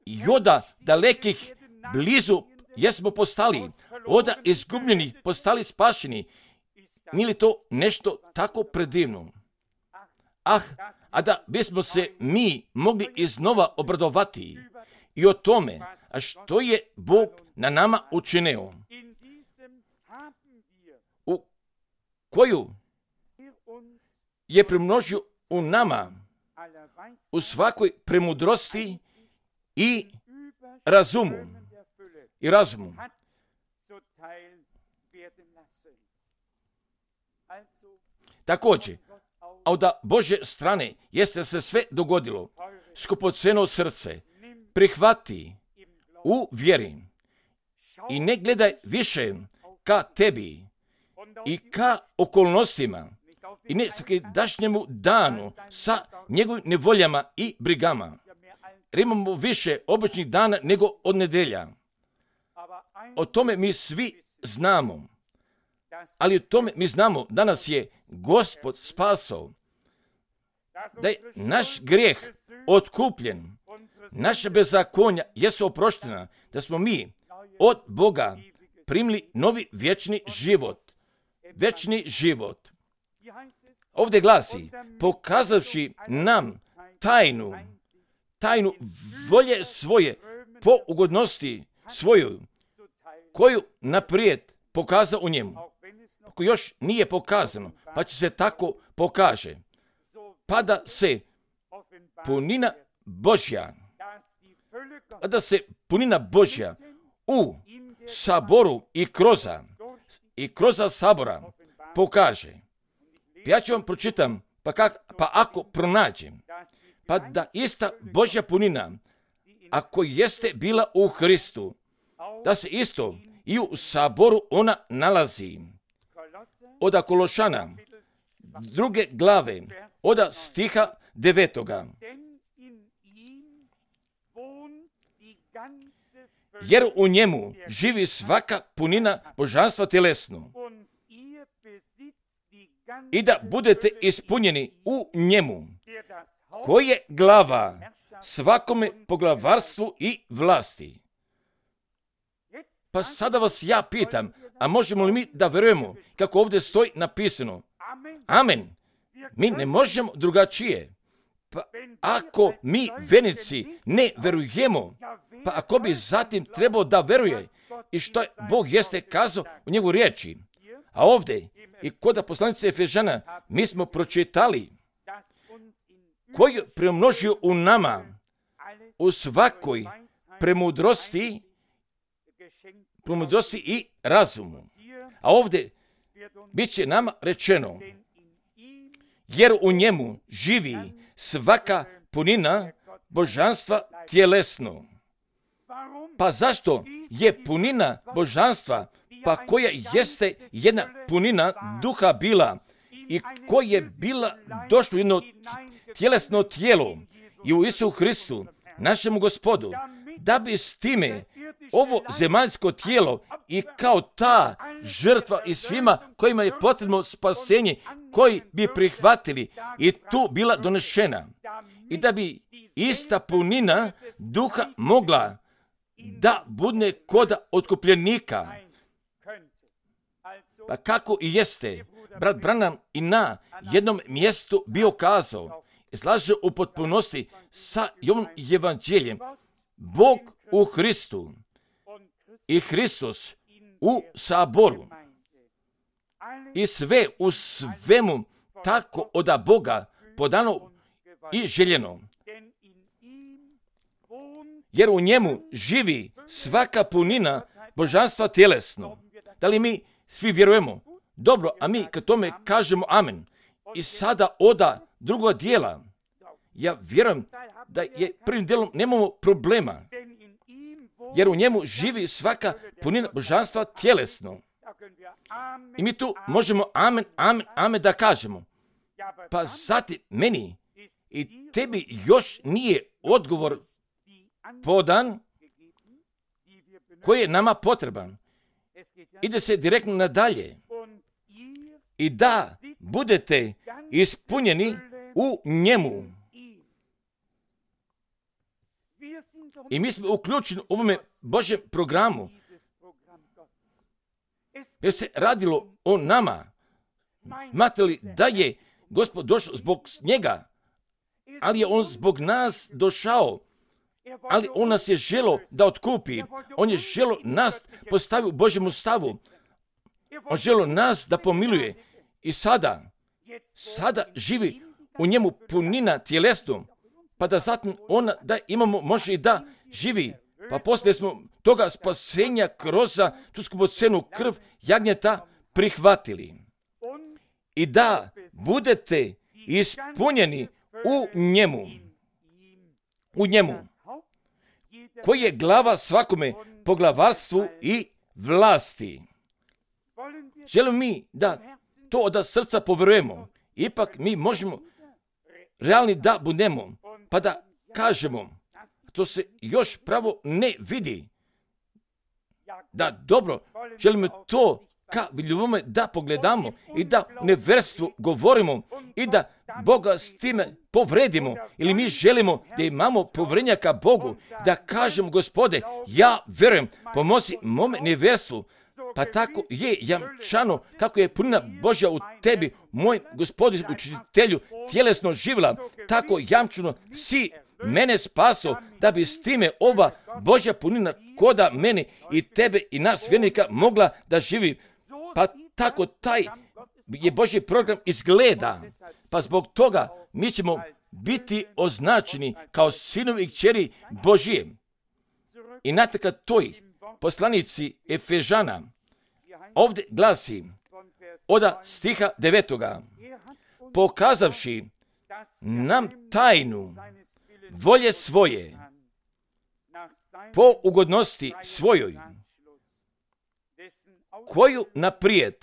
I oda dalekih blizu jesmo postali, oda izgubljeni postali spašeni. Nije li to nešto tako predivno? Ah, a da bismo se mi mogli iznova obradovati i o tome, a što je Bog na nama učinio, u koju je primnožio u nama u svakoj premudrosti i razumu. I razumu. Također, a od Božje strane jeste se sve dogodilo, skupoceno srce, prihvati u vjeri i ne gledaj više ka tebi i ka okolnostima i ne svakidašnjemu danu sa njegovim nevoljama i brigama. Jer imamo više običnih dana nego od nedelja. O tome mi svi znamo. Ali o tome mi znamo da nas je Gospod spasao, da je naš grijeh otkupljen, naša bezakonja jesu oproštena, da smo mi od Boga primili novi vječni život. Vječni život. Ovdje glasi, pokazavši nam tajnu, tajnu volje svoje po ugodnosti svoju, koju naprijed pokazao u njemu. Ako još nije pokazano, pa će se tako pokaže. Pa da se punina Božja, pa da se punina Božja u saboru i kroza, i kroza sabora pokaže. Ja ću vam pročitam, pa, kak, pa ako pronađem, pa da ista Božja punina, ako jeste bila u Hristu, da se isto i u saboru ona nalazi. Oda Kološana, druge glave, oda stiha devetoga. Jer u njemu živi svaka punina božanstva tjelesno. I da budete ispunjeni u njemu, koji je glava svakome poglavarstvu i vlasti. Pa sada vas ja pitam, a možemo li mi da verujemo kako ovdje stoji napisano? Amen. Mi ne možemo drugačije. Pa ako mi vernici ne verujemo, pa ako bi zatim trebao da veruje i što Bog jeste kazao u njegovu riječi. A ovdje i kod poslanice Efežana mi smo pročitali koji je premnožio u nama u svakoj premudrosti, premudrosti i razumu. A ovdje bit će nama rečeno, jer u njemu živi svaka punina božanstva tjelesno. Pa zašto je punina božanstva, pa koja jeste jedna punina duha bila i koja je bila došlo jedno tjelesno tijelo i u Isu Hristu, našemu Gospodu, da bi s time ovo zemaljsko tijelo i kao ta žrtva i svima kojima je potrebno spasenje, koji bi prihvatili i tu bila donešena. I da bi ista punina duha mogla da budne kod otkupljenika. Pa kako i jeste, brat Branham i na jednom mjestu bio kazao, slaže u potpunosti sa ovom evanđeljem, Bog u Hristu i Hristos u saboru i sve u svemu tako od Boga podano i željeno. Jer u njemu živi svaka punina božanstva tjelesno. Da li mi svi vjerujemo? Dobro, a mi kad tome kažemo amen. I sada oda druga dijela. Ja vjerujem da je prvim dijelom nemamo problema. Jer u njemu živi svaka punina božanstva tjelesno. I mi tu možemo amen, amen, amen da kažemo. Pa zatim meni i tebi još nije odgovor podan koji je nama potreban. Ide se direktno nadalje. I da budete ispunjeni u njemu. I mi smo uključeni u ovome Božjem programu. Jer se radilo o nama. Znate li da je Gospod došao zbog njega, ali je on zbog nas došao. Ali on nas je želo da otkupi. On je želo nas postaviti u Božjemu stavu. On želo nas da pomiluje. I sada, sada živi u njemu punina tjelesno. Pa da zatim ona da imamo, može i da živi. Pa poslije smo toga spasenja kroz tu skupocenu krv jagnjeta prihvatili. I da budete ispunjeni u njemu. U njemu. Koji je glava svakome poglavarstvu i vlasti. Želimo mi da to od srca poverujemo. Ipak mi možemo realni da budemo. Pa da kažemo, to se još pravo ne vidi. Da dobro, želimo to ka vidljivome da pogledamo i da u neverstvu govorimo i da Boga s time povredimo. Ili mi želimo da imamo povrednja ka Bogu, da kažemo, Gospode, ja verujem, pomozi mome neverstvu. Pa tako je jamčano kako je punina Božja u tebi, moj Gospodin učitelju, tjelesno živjela, tako jamčano si mene spaso, da bi s time ova Božja punina koda mene i tebe i nas vjernika mogla da živi. Pa tako taj je Božji program izgleda. Pa zbog toga mi ćemo biti označeni kao sinovi i kćeri Božije. I znate kad toj poslanici Efežana ovdje glasi od stiha devetoga, pokazavši nam tajnu volje svoje po ugodnosti svojoj, koju naprijed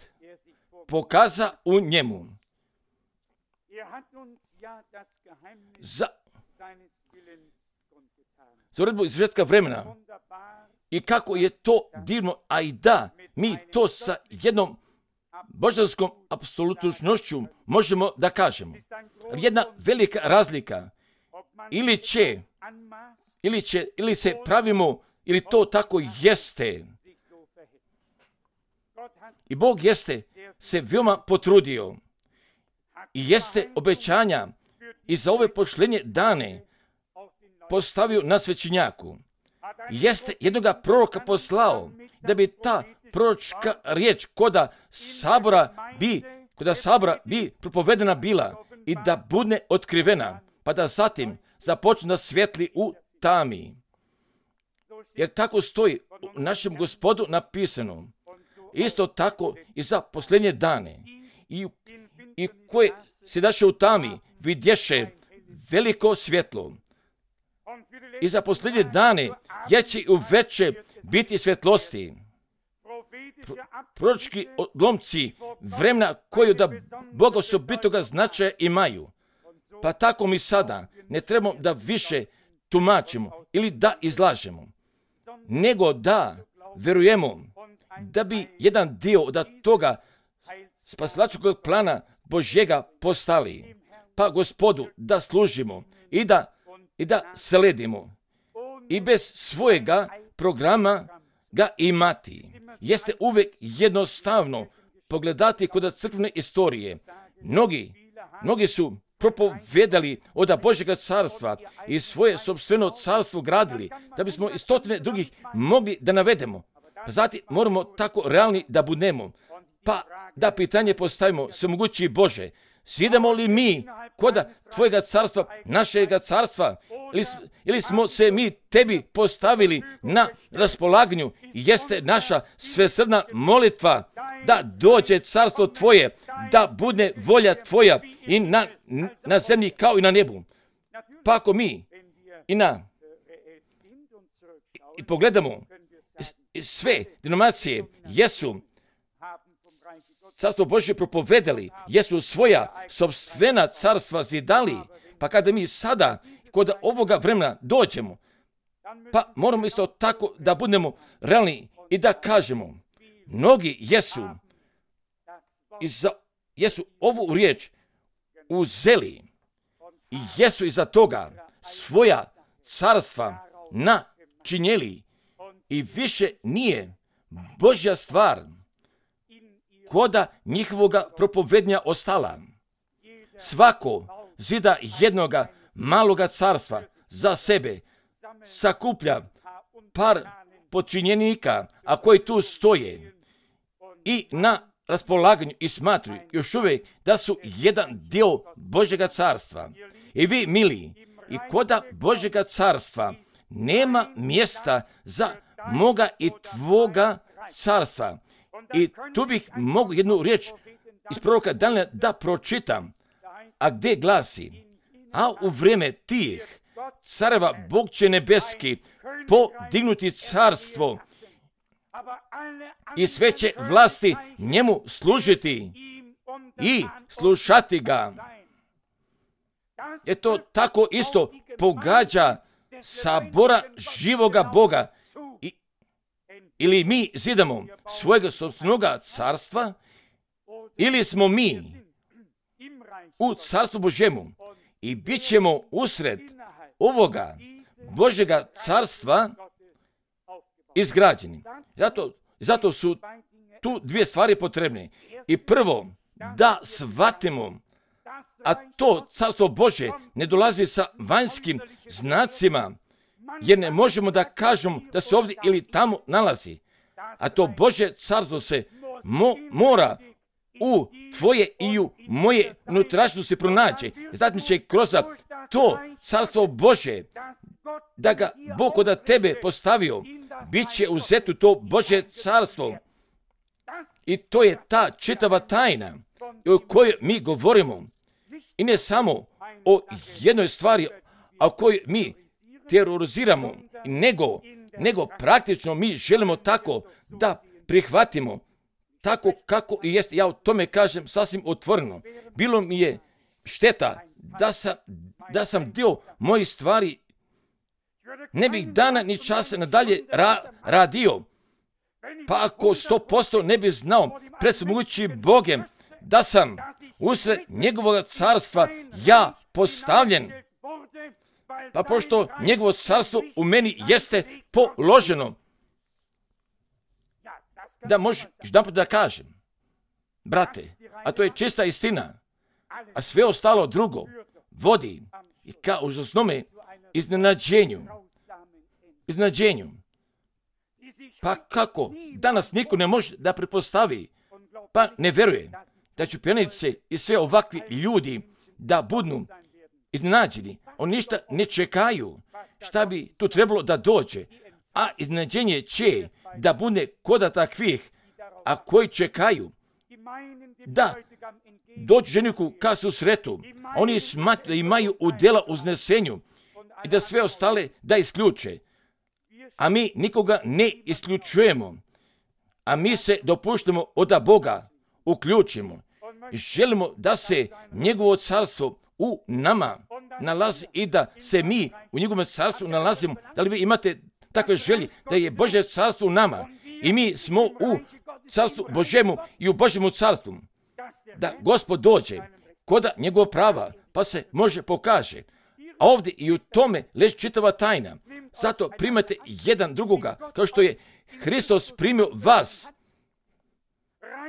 pokaza u njemu. Za, za uredbu izvjetka vremena. I kako je to divno, a i da, mi to sa jednom božanskom apsolutnošću možemo da kažemo. Jedna velika razlika. Ili će, ili će, ili se pravimo, ili to tako jeste. I Bog jeste se veoma potrudio i jeste obećanja i za ove pošlenje dane postavio na svećenjaku. Jeste jednoga proroka poslao da bi ta proročka riječ koda sabora bi, koda sabora bi propovedena bila i da bude otkrivena, pa da zatim započne da svijetli u tami. Jer tako stoji u našem Gospodu napisano. Isto tako i za posljednje dane. I, i koje se daše u tami vidješe veliko svjetlo. I za posljednje dane jeće i uveće biti svjetlosti. Pro, proročki odlomci vremena koju da Boga osobitoga značaja imaju. Pa tako mi sada ne trebamo da više tumačimo ili da izlažemo, nego da verujemo da bi jedan dio od toga spasilačkog plana Božjega postali. Pa Gospodu da služimo i da, i da sledimo. I bez svojega programa ga imati. Jeste uvijek jednostavno pogledati kod crkvene istorije. Mnogi, mnogi su propovedali od Božjega carstva i svoje sopstveno carstvo gradili, da bismo i stotine drugih mogli da navedemo. Pa zatim moramo tako realni da budemo. Pa da pitanje postavimo, svemogući Bože, sidemo li mi koda Tvojega carstva, našega carstva, ili, ili smo se mi Tebi postavili na raspolaganju i jeste naša svesrdna molitva da dođe carstvo Tvoje, da bude volja Tvoja i na, na zemlji kao i na nebu. Pa ako mi i na i, i pogledamo i sve denominacije jesu carstvo Božje propovedali, jesu svoja sopstvena carstva zidali, pa kada mi sada kod ovoga vremena dođemo, pa moramo isto tako da budemo realni i da kažemo, mnogi jesu, iza, jesu ovu riječ uzeli i jesu iza toga svoja carstva načinjeli i više nije Božja stvar koda njihovoga propovednja ostala. Svako zida jednoga maloga carstva za sebe, sakuplja par počinjenika, a koji tu stoje i na raspolaganju i smatruju još uvijek da su jedan dio Božjega carstva. I vi, mili, i koda Božjega carstva nema mjesta za moga i tvoga carstva. I tu bih mogu jednu riječ iz proroka Danijela da pročitam, a gdje glasi, a u vrijeme tih careva Bog će nebeski podignuti carstvo i sve će vlasti njemu služiti i slušati ga. Eto tako isto pogađa sabora živoga Boga. Ili mi zidamo svojega sopstvenoga carstva, ili smo mi u carstvu Božjemu i bit ćemo usred ovoga Božjega carstva izgrađeni. Zato, zato su tu dvije stvari potrebne. I prvo, da shvatimo, a to carstvo Božje ne dolazi sa vanjskim znacima, jer ne možemo da kažemo da se ovdje ili tamo nalazi. A to Božje carstvo se mo, mora u tvoje i u moje unutrašnjosti pronaći. Zatim će kroz to carstvo Božje, da ga Bog od tebe postavio, bit će uzeto to Božje carstvo. I to je ta čitava tajna o kojoj mi govorimo. I ne samo o jednoj stvari, a o kojoj mi teroriziramo, nego, nego praktično mi želimo tako da prihvatimo tako kako i jest. Ja o tome kažem sasvim otvoreno. Bilo mi je šteta da sam, da sam dio mojih stvari ne bih dana ni časa nadalje ra, radio. Pa ako sto posto ne bi znao pred svemogućim Bogem da sam usred njegovog carstva ja postavljen. Pa pošto njegovo carstvo u meni jeste položeno. da možeš jedanput da kažem, brate, a to je čista istina, a sve ostalo drugo vodi i ka užasnome iznenađenju. Iznenađenju. Pa kako? Danas niko ne može da pretpostavi, pa ne veruje da će pjenice i sve ovakvi ljudi da budu iznenađeni. Oni ništa ne čekaju šta bi tu trebalo da dođe, a iznenađenje će da bude koda takvih, a koji čekaju da dođu ženiku ka susretu. Oni smatruju da imaju udjela u znesenju i da sve ostale da isključe. A mi nikoga ne isključujemo, a mi se dopuštamo od Boga uključimo. Želimo da se njegovo carstvo u nama nalazi i da se mi u njegovom carstvu nalazimo. Da li vi imate takve želje da je Božje carstvo u nama i mi smo u carstvu Božjemu i u Božjemu carstvu? Da Gospod dođe koda njegov prava pa se može pokaže. A ovdje i u tome leži čitava tajna. Zato primate jedan drugoga, kao što je Hristos primio vas.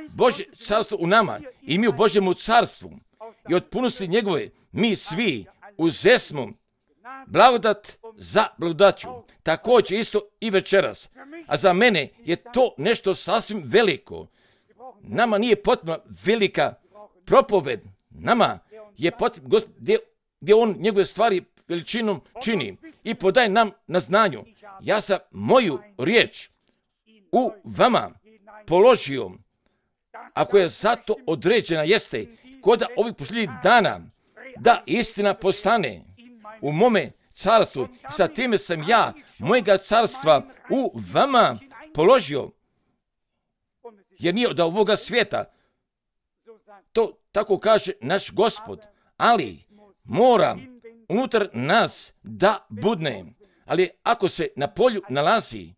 Božje carstvo u nama i mi u Božjemu carstvu. I od punosti njegove mi svi uzesmo blagodat za blagodaću. Također isto i večeras. A za mene je to nešto sasvim veliko. Nama nije potrebna velika propoved. Nama je potrebno Gospod, gdje, gdje on njegove stvari veličinom čini i podaje nam na znanju. Ja sam moju riječ u vama položio, ako je zato određena jeste koda ovih posljednjih dana da istina postane u mome carstvu. Sa time sam ja mojega carstva u vama položio, jer nije od ovoga svijeta. To tako kaže naš Gospod, ali mora unutar nas da budne. Ali ako se na polju nalazi,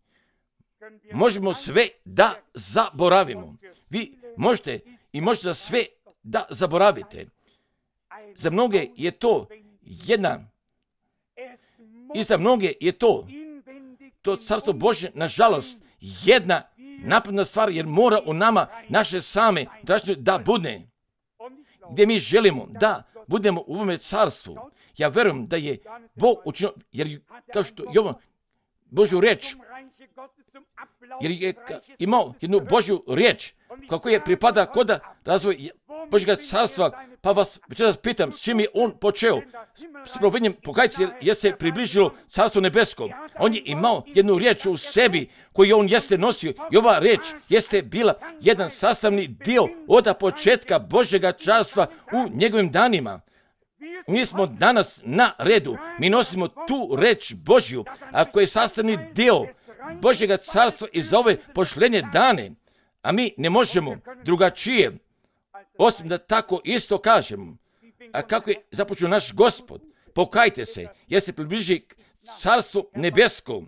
možemo sve da zaboravimo. Vi možete i možete da sve da zaboravite. Za mnoge je to jedna, i za mnoge je to, to carstvo Božje, nažalost, jedna napredna stvar, jer mora u nama naše same da budne. Gdje mi želimo da budemo u ovome carstvu. Ja verujem da je Bog učinio, jer kao što Jovan Božju riječ, jer je imao jednu Božju riječ, kako je pripada koda razvoj Božjega carstva, pa vas večeras pitam, s čim je on počeo? S provednjem pokajnice, jer se približilo carstvo nebesko. On je imao jednu riječ u sebi koju on jeste nosio i ova riječ jeste bila jedan sastavni dio od početka Božjega carstva u njegovim danima. Mi smo danas na redu, mi nosimo tu reč Božju, a koja je sastavni dio Božjega carstva i za ove pošlenje dane, a mi ne možemo drugačije, osim da tako isto kažemo. A kako je započeo naš Gospod, pokajte se, jer se približi carstvo nebesko.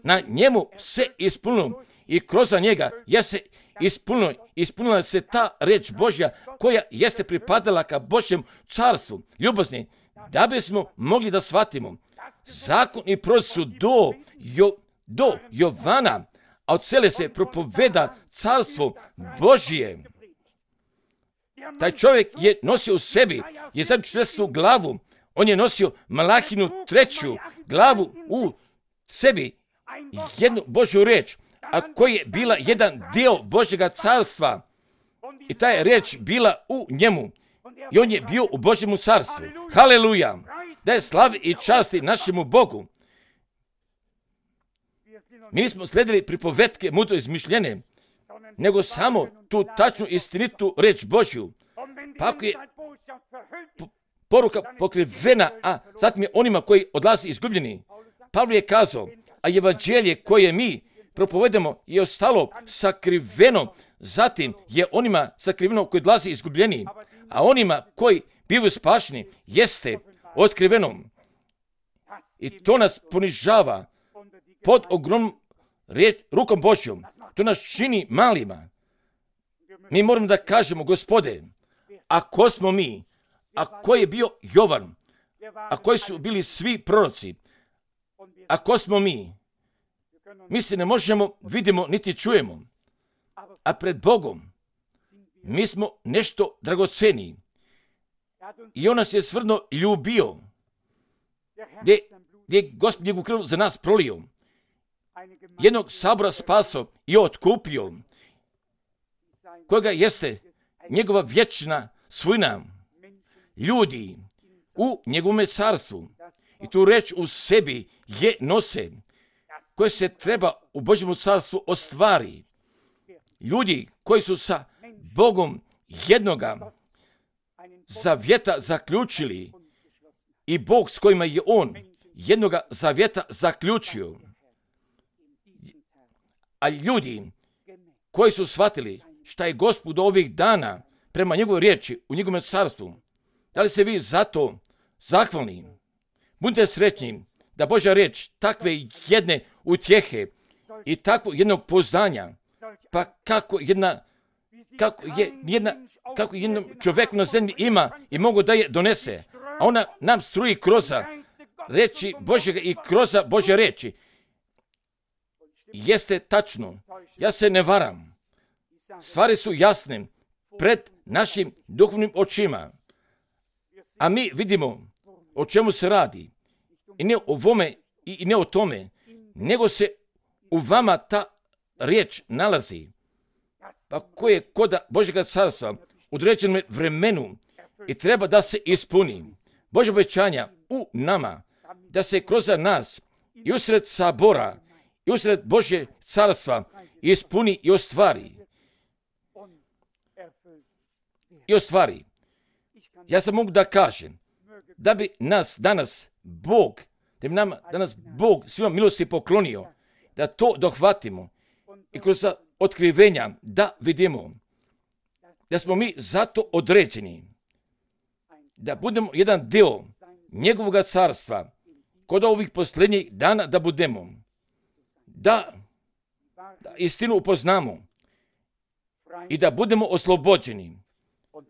Na njemu se ispunilo i kroz njega je se ispunilo, ispunila se ta reč Božja koja jeste pripadala ka Božjem carstvu. Ljubazni, da bismo mogli da shvatimo, zakon i proroci su do, jo, do Jovana, a od cele se propoveda carstvo Božje. Taj čovjek je nosio u sebi, je sad četvrstu glavu, on je nosio Malahinu treću glavu u sebi, jednu Božju riječ, a koja je bila jedan dio Božjega carstva. I ta je riječ bila u njemu. I on je bio u Božjemu carstvu. Haleluja! Da je slavi i časti našemu Bogu. Mi nismo sledili pripovetke mudro izmišljene, nego samo tu tačnu istinitu reč Božju. Pa ako je poruka pokrivena, a zatim je onima koji odlazi izgubljeni. Pavle je kazao, a evanđelje koje mi propovedamo je ostalo sakriveno, zatim je onima sakriveno koji odlazi izgubljeni, a onima koji bivaju spašeni jeste otkriveno. I to nas ponižava pod ogromnom rukom Božjom. To nas čini malima. Mi moramo da kažemo, Gospode, a ko smo mi? A ko je bio Jovan? A koji su bili svi proroci? A ko smo mi? Mi se ne možemo, vidimo, niti čujemo. a pred Bogom mi smo nešto dragoceni. I on nas je stvarno ljubio, gdje, gdje je Gospod njegovu krv za nas prolio. Jednog sabora spasao i otkupio, kojega jeste njegova vječna svojina, ljudi u njegovom carstvu. I tu reč u sebi je nose, koje se treba u Božjem carstvu ostvari. Ljudi koji su sa Bogom jednoga zavjeta zaključili i Bog s kojima je on jednoga zavjeta zaključio. A ljudi koji su shvatili šta je Gospod ovih dana prema njegovoj riječi u njegovom carstvu, da li se vi zato zahvalni? Budite srećni da Božja riječ takve jedne utjehe i takvo jednog poznanja, pa kako jedna, kako je jedna, kako jednom čovjeku na zemlji ima i mogu da je donese, a ona nam struji kroza reči Božjega i kroza Božje reči. Jeste tačno, ja se ne varam. Stvari su jasne pred našim duhovnim očima, a mi vidimo o čemu se radi. I ne o ovome i ne o tome, nego se u vama ta riječ nalazi, pa koje je kod Božjega carstva u određenom vremenu i treba da se ispuni. Božja obećanja u nama, da se kroz nas i usred sabora i usred Božje carstva ispuni i ostvari. I ostvari. Ja sam mogu da kažem da bi nas danas Bog, da bi nam danas Bog svima milosti poklonio, da to dohvatimo i kroz otkrivenja da vidimo da smo mi zato određeni, da budemo jedan dio njegovog carstva kod ovih posljednjih dana, da budemo, da, da istinu upoznamo i da budemo oslobođeni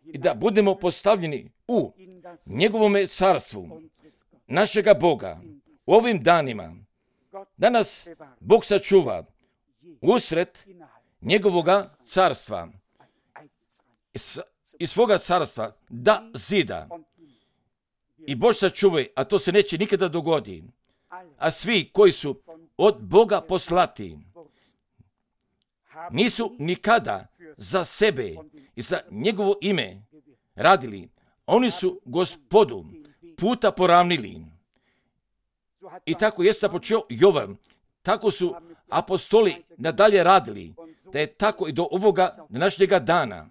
i da budemo postavljeni u njegovome carstvu našega Boga u ovim danima. Da nas Bog sačuva usred njegovoga carstva i svoga carstva da zida. I Bož sačuvaj, a to se neće nikada dogoditi. A svi koji su od Boga poslati nisu nikada za sebe i za njegovo ime radili. Oni su Gospodu puta poravnili. I tako jeste počeo Jovan. Tako su apostoli nadalje radili. Da je tako i do ovoga današnjega dana.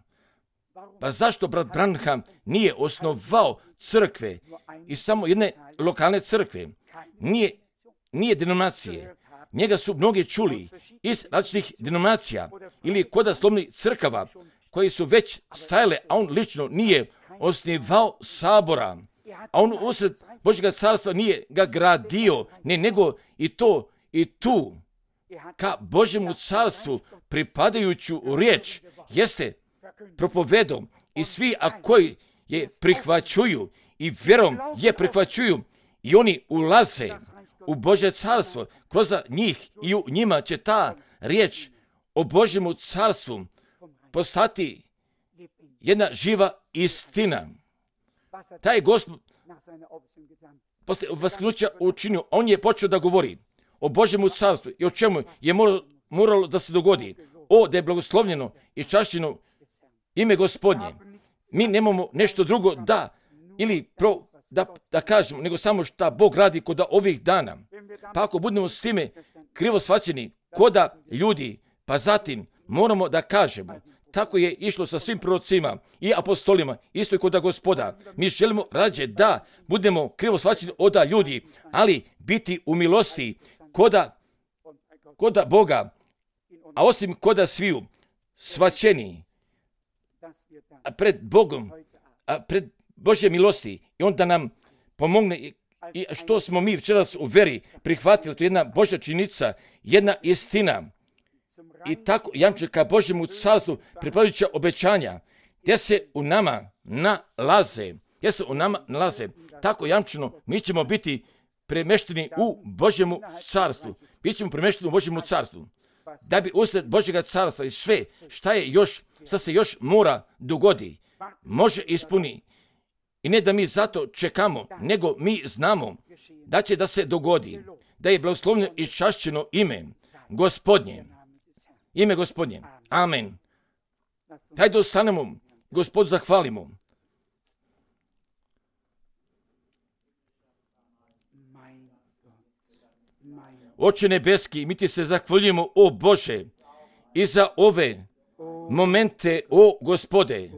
Pa zašto brat Branham nije osnovao crkve i samo jedne lokalne crkve? Nije, nije denominacije. Njega su mnogi čuli iz različitih denominacija ili koda slovnih crkava koji su već stajale, a on lično nije osnivao sabora. A on usred Božjega carstva nije ga gradio, ne, nego i to i tu ka Božjemu carstvu pripadajuću riječ jeste propovedom i svi a koji je prihvaćuju i vjerom je prihvaćuju i oni ulaze u Božje carstvo. Kroz njih i u njima će ta riječ o Božjemu carstvu postati jedna živa istina. Taj Gospod posle vasknuća učinio, on je počeo da govori o Božjemu carstvu i o čemu je moralo, moralo da se dogodi. O, da je blagoslovljeno i čašćeno ime Gospodnje. Mi nemamo nešto drugo da ili pro, da, da kažemo, nego samo šta Bog radi kod ovih dana. Pa ako budemo s time krivo shvaćeni koda ljudi, pa zatim moramo da kažemo, tako je išlo sa svim prorocima i apostolima, isto i kod Gospoda. Mi želimo rađe da budemo krivo shvaćeni od ljudi, ali biti u milosti koda, koda Boga, a osim koda sviju shvaćeni pred Bogom, a pred Božje milosti i onda nam pomogne i, i što smo mi včeras u veri prihvatili, to je jedna Božja činjenica, jedna istina. I tako jamče ka Božjemu carstvu pripadajuća obećanja, gdje se u nama nalaze, gdje se u nama nalaze, tako jamčeno mi ćemo biti premešteni u Božjemu carstvu. Mi ćemo premešteni u Božjemu carstvu. da bi usred Božjega carstva i sve šta je još, šta se još mora dogodi, može ispuni. I ne da mi zato čekamo, nego mi znamo da će da se dogodi, da je blagoslovljeno i čašćeno ime Gospodnje. Ime Gospodnje. Amen. Hajde ostanemo, Gospod zahvalimo. Oče nebeski, mi ti se zahvaljujemo, o Bože, i za ove momente, o Gospode.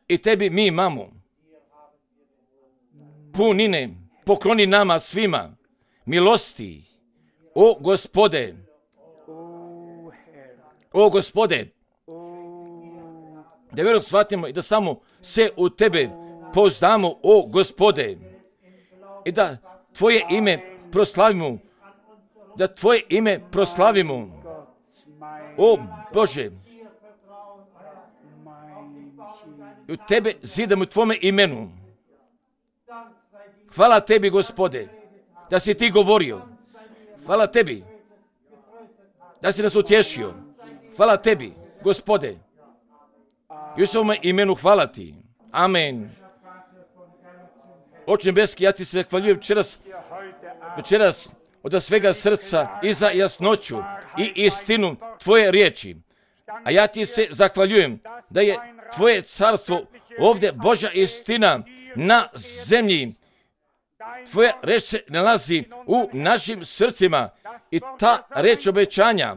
I tebi mi imamo punine, pokloni nama svima, milosti, o Gospode, o Gospode, da vjerom shvatimo i da samo se u tebe pouzdamo, o Gospode, i da tvoje ime proslavimo, da tvoje ime proslavimo, o Bože, u tebe zidamo u tvome imenu. Hvala tebi, Gospode, da si ti govorio. Hvala tebi da si nas utješio. Hvala tebi, Gospode. I u svome imenu hvala ti. Amen. Oče nebeski, ja ti se zahvaljujem večeras, večeras od svega srca i za jasnoću i istinu tvoje riječi. A ja ti se zahvaljujem da je tvoje carstvo ovdje Božja istina na zemlji. Tvoja reč se nalazi u našim srcima i ta reč obećanja.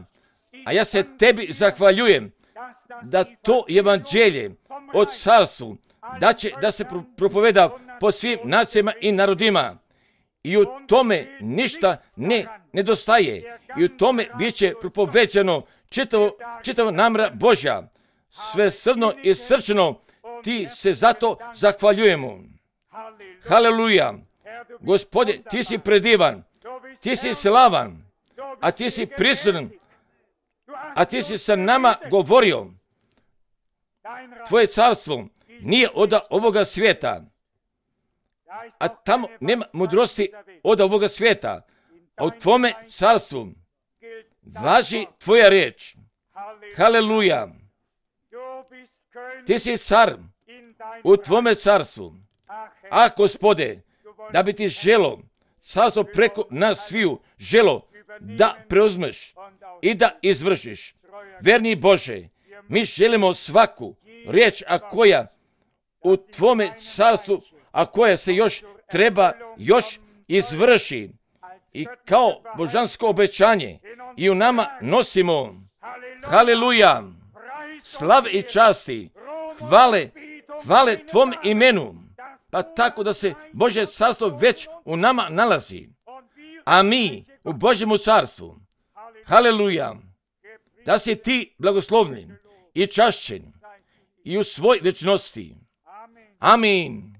A ja se tebi zahvaljujem da to evanđelje o carstvu da će da se propoveda po svim nacijama i narodima. I u tome ništa ne nedostaje. I u tome bit će propoveđano čitavo, čitava namjera Božja. Sve srno i srčano ti se zato zahvaljujemo. Haleluja. Gospode, ti si predivan, ti si slavan, a ti si prisutan, a ti si sa nama govorio. Tvoje carstvo nije od ovoga svijeta, a tamo nema mudrosti od ovoga svijeta, a u tvome carstvu važi tvoja riječ. Haleluja. Ti si car u tvome carstvu. A Gospode, da bi ti želo carstvo preko nas sviju želo da preuzmeš i da izvršiš. Verni Bože, mi želimo svaku riječ, a koja u tvome carstvu, a koja se još treba još izvrši i kao božansko obećanje i u nama nosimo. Haleluja. Slave i časti, hvale, hvale tvom imenu. Pa tako da se Božje carstvo već u nama nalazi. A mi u Božjemu carstvu. Haleluja. Da si ti blagoslovljen i čašćen i u svoj večnosti. Amin.